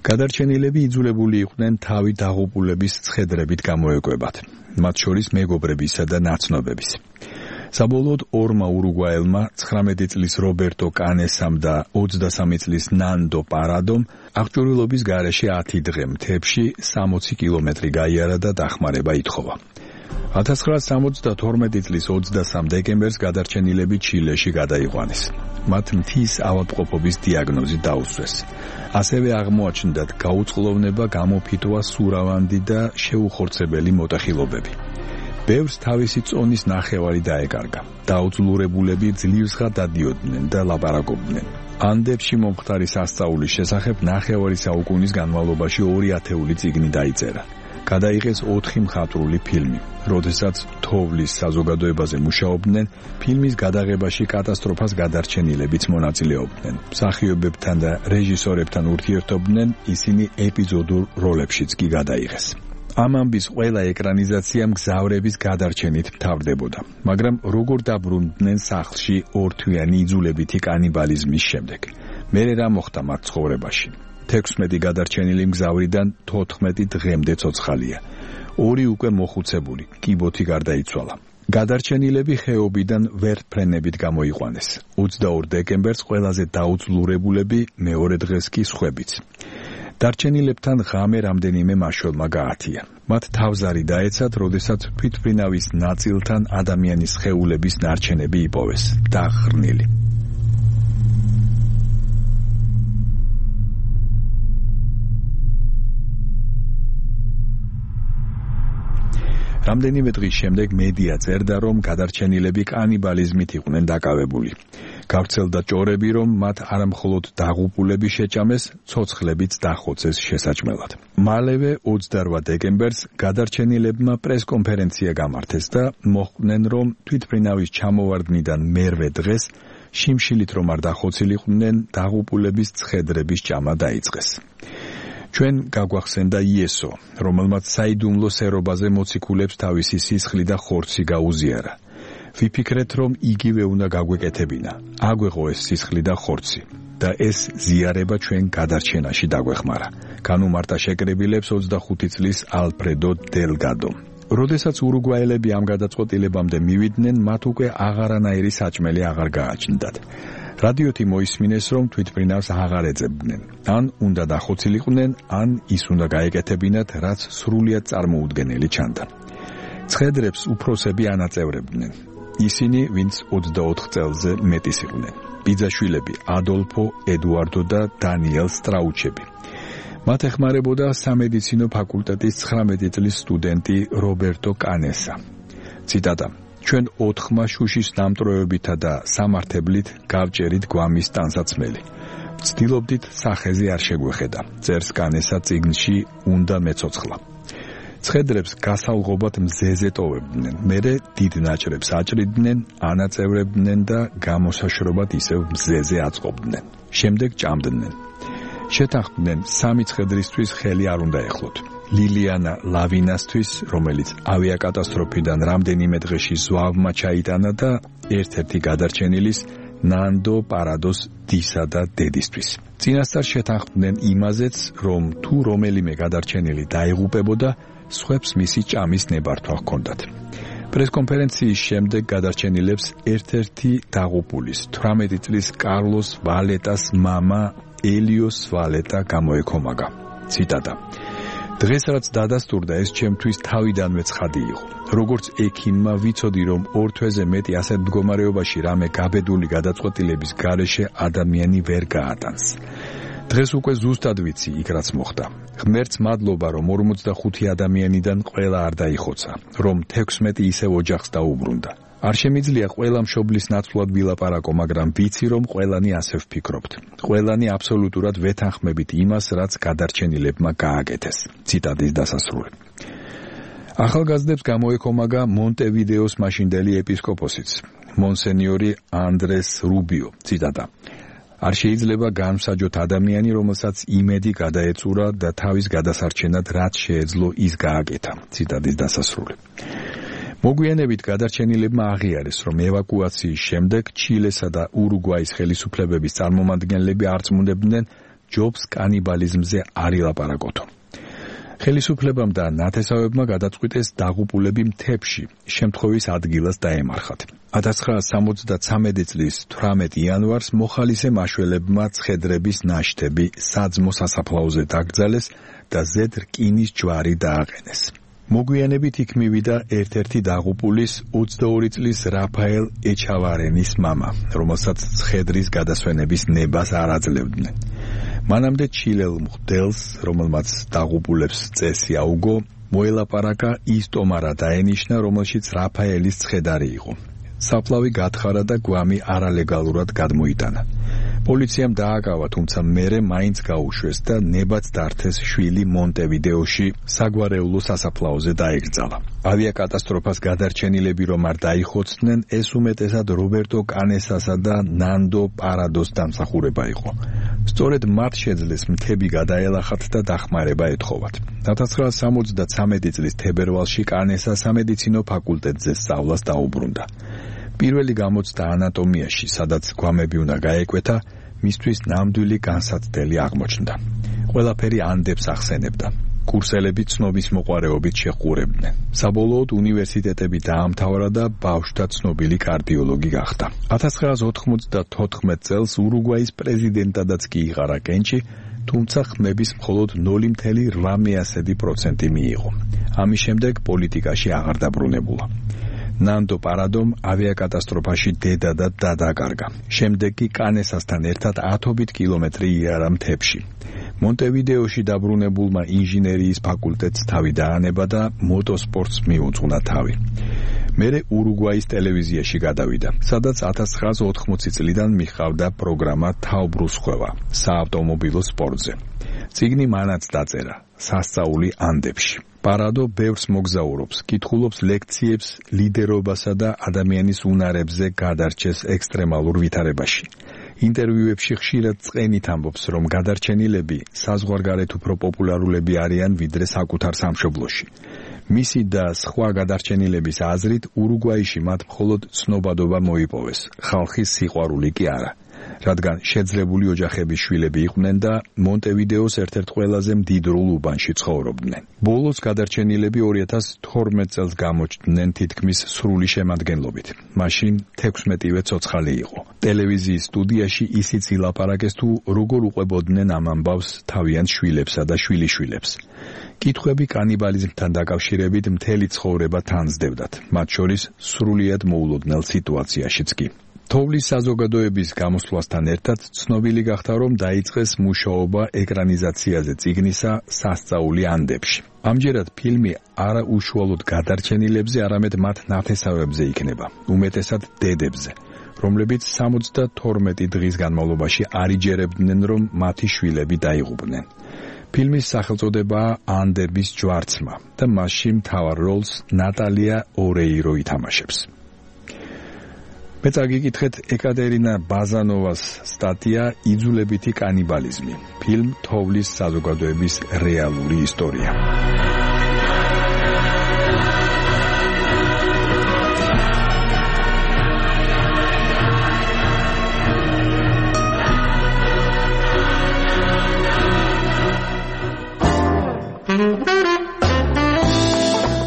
გადარჩენილები იძულებული იყვნენ თავი დაღუპულების ცხედრებით გამოეკვებათ, მათ შორის მეგობრებისა და ნაცნობების. საბოლოოდ 2 ურუგვაელმა 19 წლის რობერტო კანესამ და 23 წლის ნანდო პარადომ აღჭურვილობის გარეშე 10 დღე მთებში 60 კილომეტრი გაიარა და დახმარება ითხოვა. 1972 წლის 23 დეკემბერს გადარჩენილები ჩილეში გადაიყვანეს. მათ მთის ავადმყოფობის დიაგნოზი დაუსვეს. ასევე აღმოაჩნდათ გაუწყლოვნება, გამოფიტვა, სურავანდი და შეუხორცებელი მოტეხილობები. ბევრს თავისი წონის ნახევარი დაეკარგა. დაუძლურებულები ძლივსღა დადიოდნენ და ლაპარაკობდნენ. ანდებში მომხდარი სასწაულის შესახებ ნახევარი საუკუნის განმავლობაში 2 ათეული წიგნი დაიწერა. გადაიღეს 4 მხატვრული ფილმი. როდესაც თოვლის საზოგადოებაზე მუშაობდნენ, ფილმის გადაღებაში კატასტროფას გადარჩენილებიც მონაწილეობდნენ. მსახიობებთან და რეჟისორებთან ურთიერთობდნენ, ისინი ეპიზოდურ როლებშიც კი გადაიღეს. ამ ამბის ყველა ეკრანიზაცია მგზავრების გადარჩენით მთავრდებოდა, მაგრამ როგორ დაბრუნდნენ სახლში ორთვიანი იძულებითი კანიბალიზმის შემდეგ? მერე რა მოხდა მათ ცხოვრებაში? 16 გადარჩენილი მგზავრიდან 14 დღემდე ცოცხალია. 2 უკვე მოხუცებული, კიბოთი გარდაიცვალა. გადარჩენილები ხეობიდან ვერტფრენებით გამოიყვანეს. 22 დეკემბერს ყველაზე დაუძლურებულები, მეორე დღეს კი სხვებიც. დარჩენილებთან ღამე რამდენიმე მაშველმა გაათია. მათ თავზარი დაეცათ, როდესაც თვითმფრინავის ნაწილთან ადამიანის სხეულების ნარჩენები იპოვეს, დახრნილი. რამდენიმე დღის შემდეგ მედია წერდა, რომ გადარჩენილები კანიბალიზმით იყვნენ დაკავებული. გავრცელდა ჭორები, რომ მათ არამხოლოდ დაღუპულები შეჭამეს, ცოცხლებიც დახოცეს შესაჭმელად. მალევე 28 დეკემბერს გადარჩენილებმა პრესკონფერენცია გამართეს და მოხვდნენ, რომ თვითმფრინავის ჩამოვარდნიდან მერვე დღეს შიმშილით რომ არ დახოცილიყვნენ, დაღუპულების ცხედრების ჭამა დაიწყეს. ჩვენ გაგვახსენდა იესო, რომელმაც საიდუმლო სერობაზე მოციქულებს თავისი სისხლი და ხორცი გაუზიარა. ვიფიქრეთ, რომ იგივე უნდა გაგვეკეთებინა, აგვეღო ეს სისხლი და ხორცი და ეს ზიარება ჩვენ გადარჩენაში დაგვეხმარა. განუმარტა შეკრებილებს 25 წლის ალფრედო დელგადო. როდესაც ურუგვაელები ამ გადაწყვეტილებამდე მივიდნენ, მათ უკვე აღარანაირი საჭმელი აღარ გააჩნდათ. რადიოთი მოისმინეს, რომ თვითმფრინავს აღარ ეძებდნენ. ან უნდა დახოცილიყვნენ, ან ის უნდა გაეკეთებინათ, რაც სრულიად წარმოუდგენელი ჩანდა. ცხედრებს უფროსები ანაწევრებდნენ. ისინი, ვინც 24 წელზე მეტის იყვნენ. ბიძაშვილები ადოლფო, ედუარდო და დანიელ სტრაუჩები. მათ ეხმარებოდა სამედიცინო ფაკულტეტის 19 წლის სტუდენტი რობერტო კანესა. ციტატა: ჩვენ 4 შუშის დამტროებითა და სამართებლით გავჭერით გვამის ტანსაცმელი. ვცდილობდით სახეზე არ შეგვეხედა. წერს კანესა წიგნში უნდა მეცოცხლა. ცხედრებს გასალღობად მზეზე ტოვებდნენ, მერე დიდ ნაჭრებს აჭრიდნენ, ანაწევრებდნენ და გამოსაშრობად ისევ მზეზე აწყობდნენ. შემდეგ ჭამდნენ. შეთანხმდნენ 3 ცხედრისთვის ხელი არ უნდა ეხლოთ. ლილიანა ლავინასთვის, რომელიც ავიაკატასტროფიდან რამდენიმე დღეში ზვავმა ჩაიტანა და ერთ-ერთი გადარჩენილის ნანდო პარადოს დისა და დედისთვის. წინასწარ შეთანხმდნენ იმაზეც, რომ თუ რომელიმე გადარჩენილი დაიღუპებოდა, სხვებს მისი ჭამის ნებართვა ჰქონდათ. პრესკონფერენციის შემდეგ გადარჩენილებს ერთ-ერთი დაღუპულის 18 წლის კარლოს ვალეტას მამა ელიოს ვალეტა გამოეკომაგა. ციტატა: დღეს რაც დადასტურდა, ეს ჩემთვის თავიდანვე ცხადი იყო. როგორც ექიმმა ვიცოდი, რომ 2 თვეზე მეტი ასეთ მდგომარეობაში რამე გაბედული გადაწყვეტილების გარეშე ადამიანი ვერ გაატანს. დღეს უკვე ზუსტად ვიცი იქ რაც მოხდა. ღმერთს მადლობა, რომ 45 ადამიანიდან ყველა არ დაიხოცა, რომ 16 ისევ ოჯახს დაუბრუნდა. არ შემიძლია ყველა მშობლის ნაცვლად ვილაპარაკო, მაგრამ ვიცი, რომ ყველანი ასე ვფიქრობთ. ყველანი აბსოლუტურად ვეთანხმებით იმას, რაც გადარჩენილებმა გააკეთეს. ციტატის დასასრული. ახალგაზრდებს გამოეკომაგა მონტევიდეოს მაშინდელი ეპისკოპოსიც, მონსენიორი ანდრეს რუბიო. ციტატა: არ შეიძლება განმსაჯოთ ადამიანი, რომელსაც იმედი გადაეწურა და თავის გადასარჩენად რაც შეეძლო ის გააკეთა. ციტატის დასასრული. მოგვიანებით გადარჩენილებმა აღიარეს, რომ ევაკუაციის შემდეგ ჩილესა და ურუგვაის ხელისუფლებების წარმომადგენლები არ წმუნდებდნენ ჯობს კანიბალიზმზე არ ილაპარაკოთო. ხელისუფლებამ და ნათესავებმა გადაწყვიტეს დაღუპულები მთებში შემთხვევის ადგილას დაემარხათ. 1973 წლის 18 იანვარს მოხალისე მაშველებმა ცხედრების ნაშთები საძმო სასაფლაოზე დაკრძალეს და ზედ რკინის ჯვარი დააყენეს. მოგვიანებით იქ მივიდა ერთ-ერთი დაღუპულის 22 წლის რაფაელ ეჩავარენის მამა, რომელსაც ცხედრის გადასვენების ნებას არ აძლევდნენ. მანამდე ჩილელ მღვდელს, რომელმაც დაღუპულებს წესი აუგო, მოელაპარაკა ის ტომარა დაენიშნა, რომელშიც რაფაელის ცხედარი იყო. საფლავი გათხარა და გვამი არალეგალურად გადმოიტანა. პოლიციამ დააკავა, თუმცა მერე მაინც გაუშვეს და ნებაც დართეს შვილი მონტევიდეოში საგვარეულო სასაფლაოზე დაეკრძალა. ავიაკატასტროფას გადარჩენილები რომ არ დაიხოცდნენ, ეს უმეტესად რობერტო კანესასა და ნანდო პარადოს დამსახურება იყო. სწორედ მათ შეძლეს მთები გადაელახათ და დახმარება ეთხოვათ. 1973 წლის თებერვალში კანესა სამედიცინო ფაკულტეტზე სწავლას დაუბრუნდა. პირველი გამოცდა ანატომიაში, სადაც გვამები უნდა გაეკვეთა, მისთვის ნამდვილი განსაცდელი აღმოჩნდა. ყველაფერი ანდებს ახსენებდა. კურსელები ცნობის მოყვარეობით შეჰყურებდნენ. საბოლოოდ უნივერსიტეტები დაამთავრა და ბავშვთა ცნობილი კარდიოლოგი გახდა. 1994 წელს ურუგვაის პრეზიდენტადაც კი იღარა კენჭი, თუმცა ხმების მხოლოდ 0.8% მიიღო. ამის შემდეგ პოლიტიკაში აღარ დაბრუნებულა. ნანდო პარადომ ავიაკატასტროფაში დედა და დაკარგა. შემდეგ კი კანესასთან ერთად 10 კილომეტრი იარა მთებში. მონტევიდეოში დაბრუნებულმა ინჟინერიის ფაკულტეტს თავი დაანება და მოტოსპორტს მიუძღვნა თავი. მერე ურუგვაის ტელევიზიაში გადავიდა, სადაც 1980 წლიდან მიჰყავდა პროგრამა თავბრუსხვევა საავტომობილო სპორტზე. წიგნი მანაც დაწერა სასწაული ანდებში. პარადო ბევრს მოგზაურობს, კითხულობს ლექციებს ლიდერობასა და ადამიანის უნარებზე გადარჩეს ექსტრემალურ ვითარებაში. ინტერვიუებში ხშირად წყენით ამბობს, რომ გადარჩენილები საზღვარგარეთ უფრო პოპულარულები არიან ვიდრე საკუთარ სამშობლოში. მისი და სხვა გადარჩენილების აზრით, ურუგვაიში მათ მხოლოდ ცნობადობა მოიპოვეს, ხალხის სიყვარული კი არა. რადგან შეძლებული ოჯახების შვილები იყვნენ და მონტევიდეოს ერთ-ერთ ყველაზე მდიდრულ უბანში ცხოვრობდნენ. ბოლოს გადარჩენილები 2012 წელს გამოჩნდნენ თითქმის სრული შემადგენლობით. მაშინ 16-ვე ცოცხალი იყო. ტელევიზიის სტუდიაში ისიც ილაპარაკეს თუ როგორ უყვებოდნენ ამ ამბავს თავიანთ შვილებსა და შვილიშვილებს. კითხვები კანიბალიზმთან დაკავშირებით მთელი ცხოვრება თანსდევდათ, მათ შორის სრულიად მოულოდნელ სიტუაციაშიც კი. თოვლის საზოგადოების გამოსვლასთან ერთად ცნობილი გახდა, რომ დაიწყეს მუშაობა ეკრანიზაციაზე წიგნისა სასწაული ანდებში. ამჯერად ფილმი არა უშუალოდ გადარჩენილებზე, არამედ მათ ნათესავებზე იქნება, უმეტესად დედებზე, რომლებიც 72 დღის განმავლობაში არ იჯერებდნენ, რომ მათი შვილები დაიღუპნენ. ფილმის სახელწოდებაა ანდების ჯვარცმა და მასში მთავარ როლს ნატალია ორეირო ითამაშებს. მე წაგიკითხეთ ეკატერინა ბაზანოვას სტატია იძულებითი კანიბალიზმი, ფილმ თოვლის საზოგადოების რეალური ისტორია.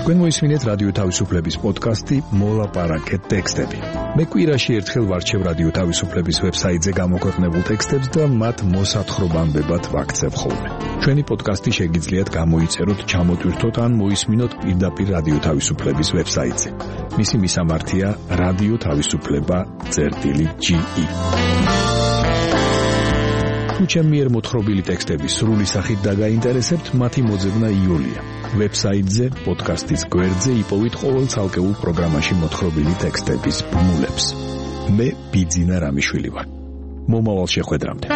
თქვენ მოისმინეთ რადიო თავისუფლების პოდკასტი მოლაპარაკეთ ტექსტები. მე კვირაში ერთხელ ვარჩევ რადიო თავისუფლების ვებსაიტზე გამოქვეყნებულ ტექსტებს და მათ მოსათხრობამდებად ვაქცევ ხოლმე. ჩვენი პოდკასტი შეგიძლიათ გამოიწეროთ, ჩამოტვირთოთ ან მოისმინოთ პირდაპირ რადიო თავისუფლების ვებსაიტზე. მისი მისამართია რადიო თავისუფლება.ge. თუ ჩემი მიერ მოთხრობილი ტექსტები სრული სახით დაგაინტერესებთ, მათი მოძებნა იოლია. ვებსაიტზე, პოდკასტის გვერდზე იპოვით ყოველ ცალკეულ პროგრამაში მოთხრობილი ტექსტების ბმულებს. მე ბიძინა რამიშვილი ვარ. მომავალ შეხვედრამდე.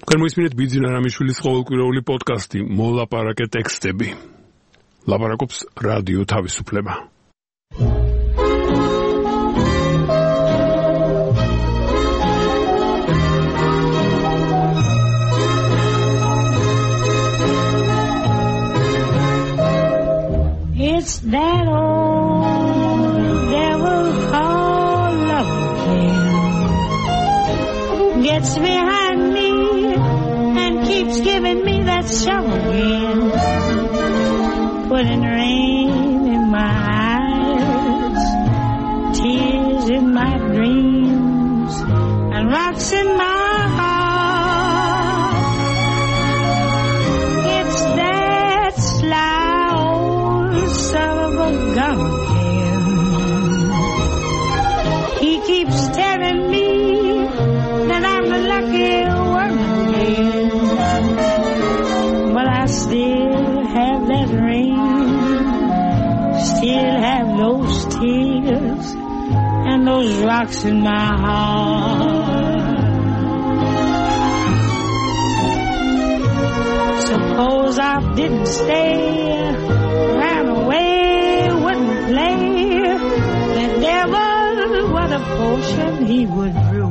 თქვენ მოისმინეთ ბიძინა რამიშვილის ყოველკვირეული პოდკასტი მოლაპარაკე ტექსტები. ლაპარაკობს რადიო თავისუფლება. It's that old devil called love again. Gets behind me and keeps giving me that shovel again. Putting rain in my eyes, tears in my rocks in my heart. It's that sly old son of a gun again. He keeps telling me that I'm the lucky one again, but I still have that ring, still have those tears and those rocks in my heart. Suppose I didn't stay, ran away, wouldn't play, the devil, what a potion he would brew.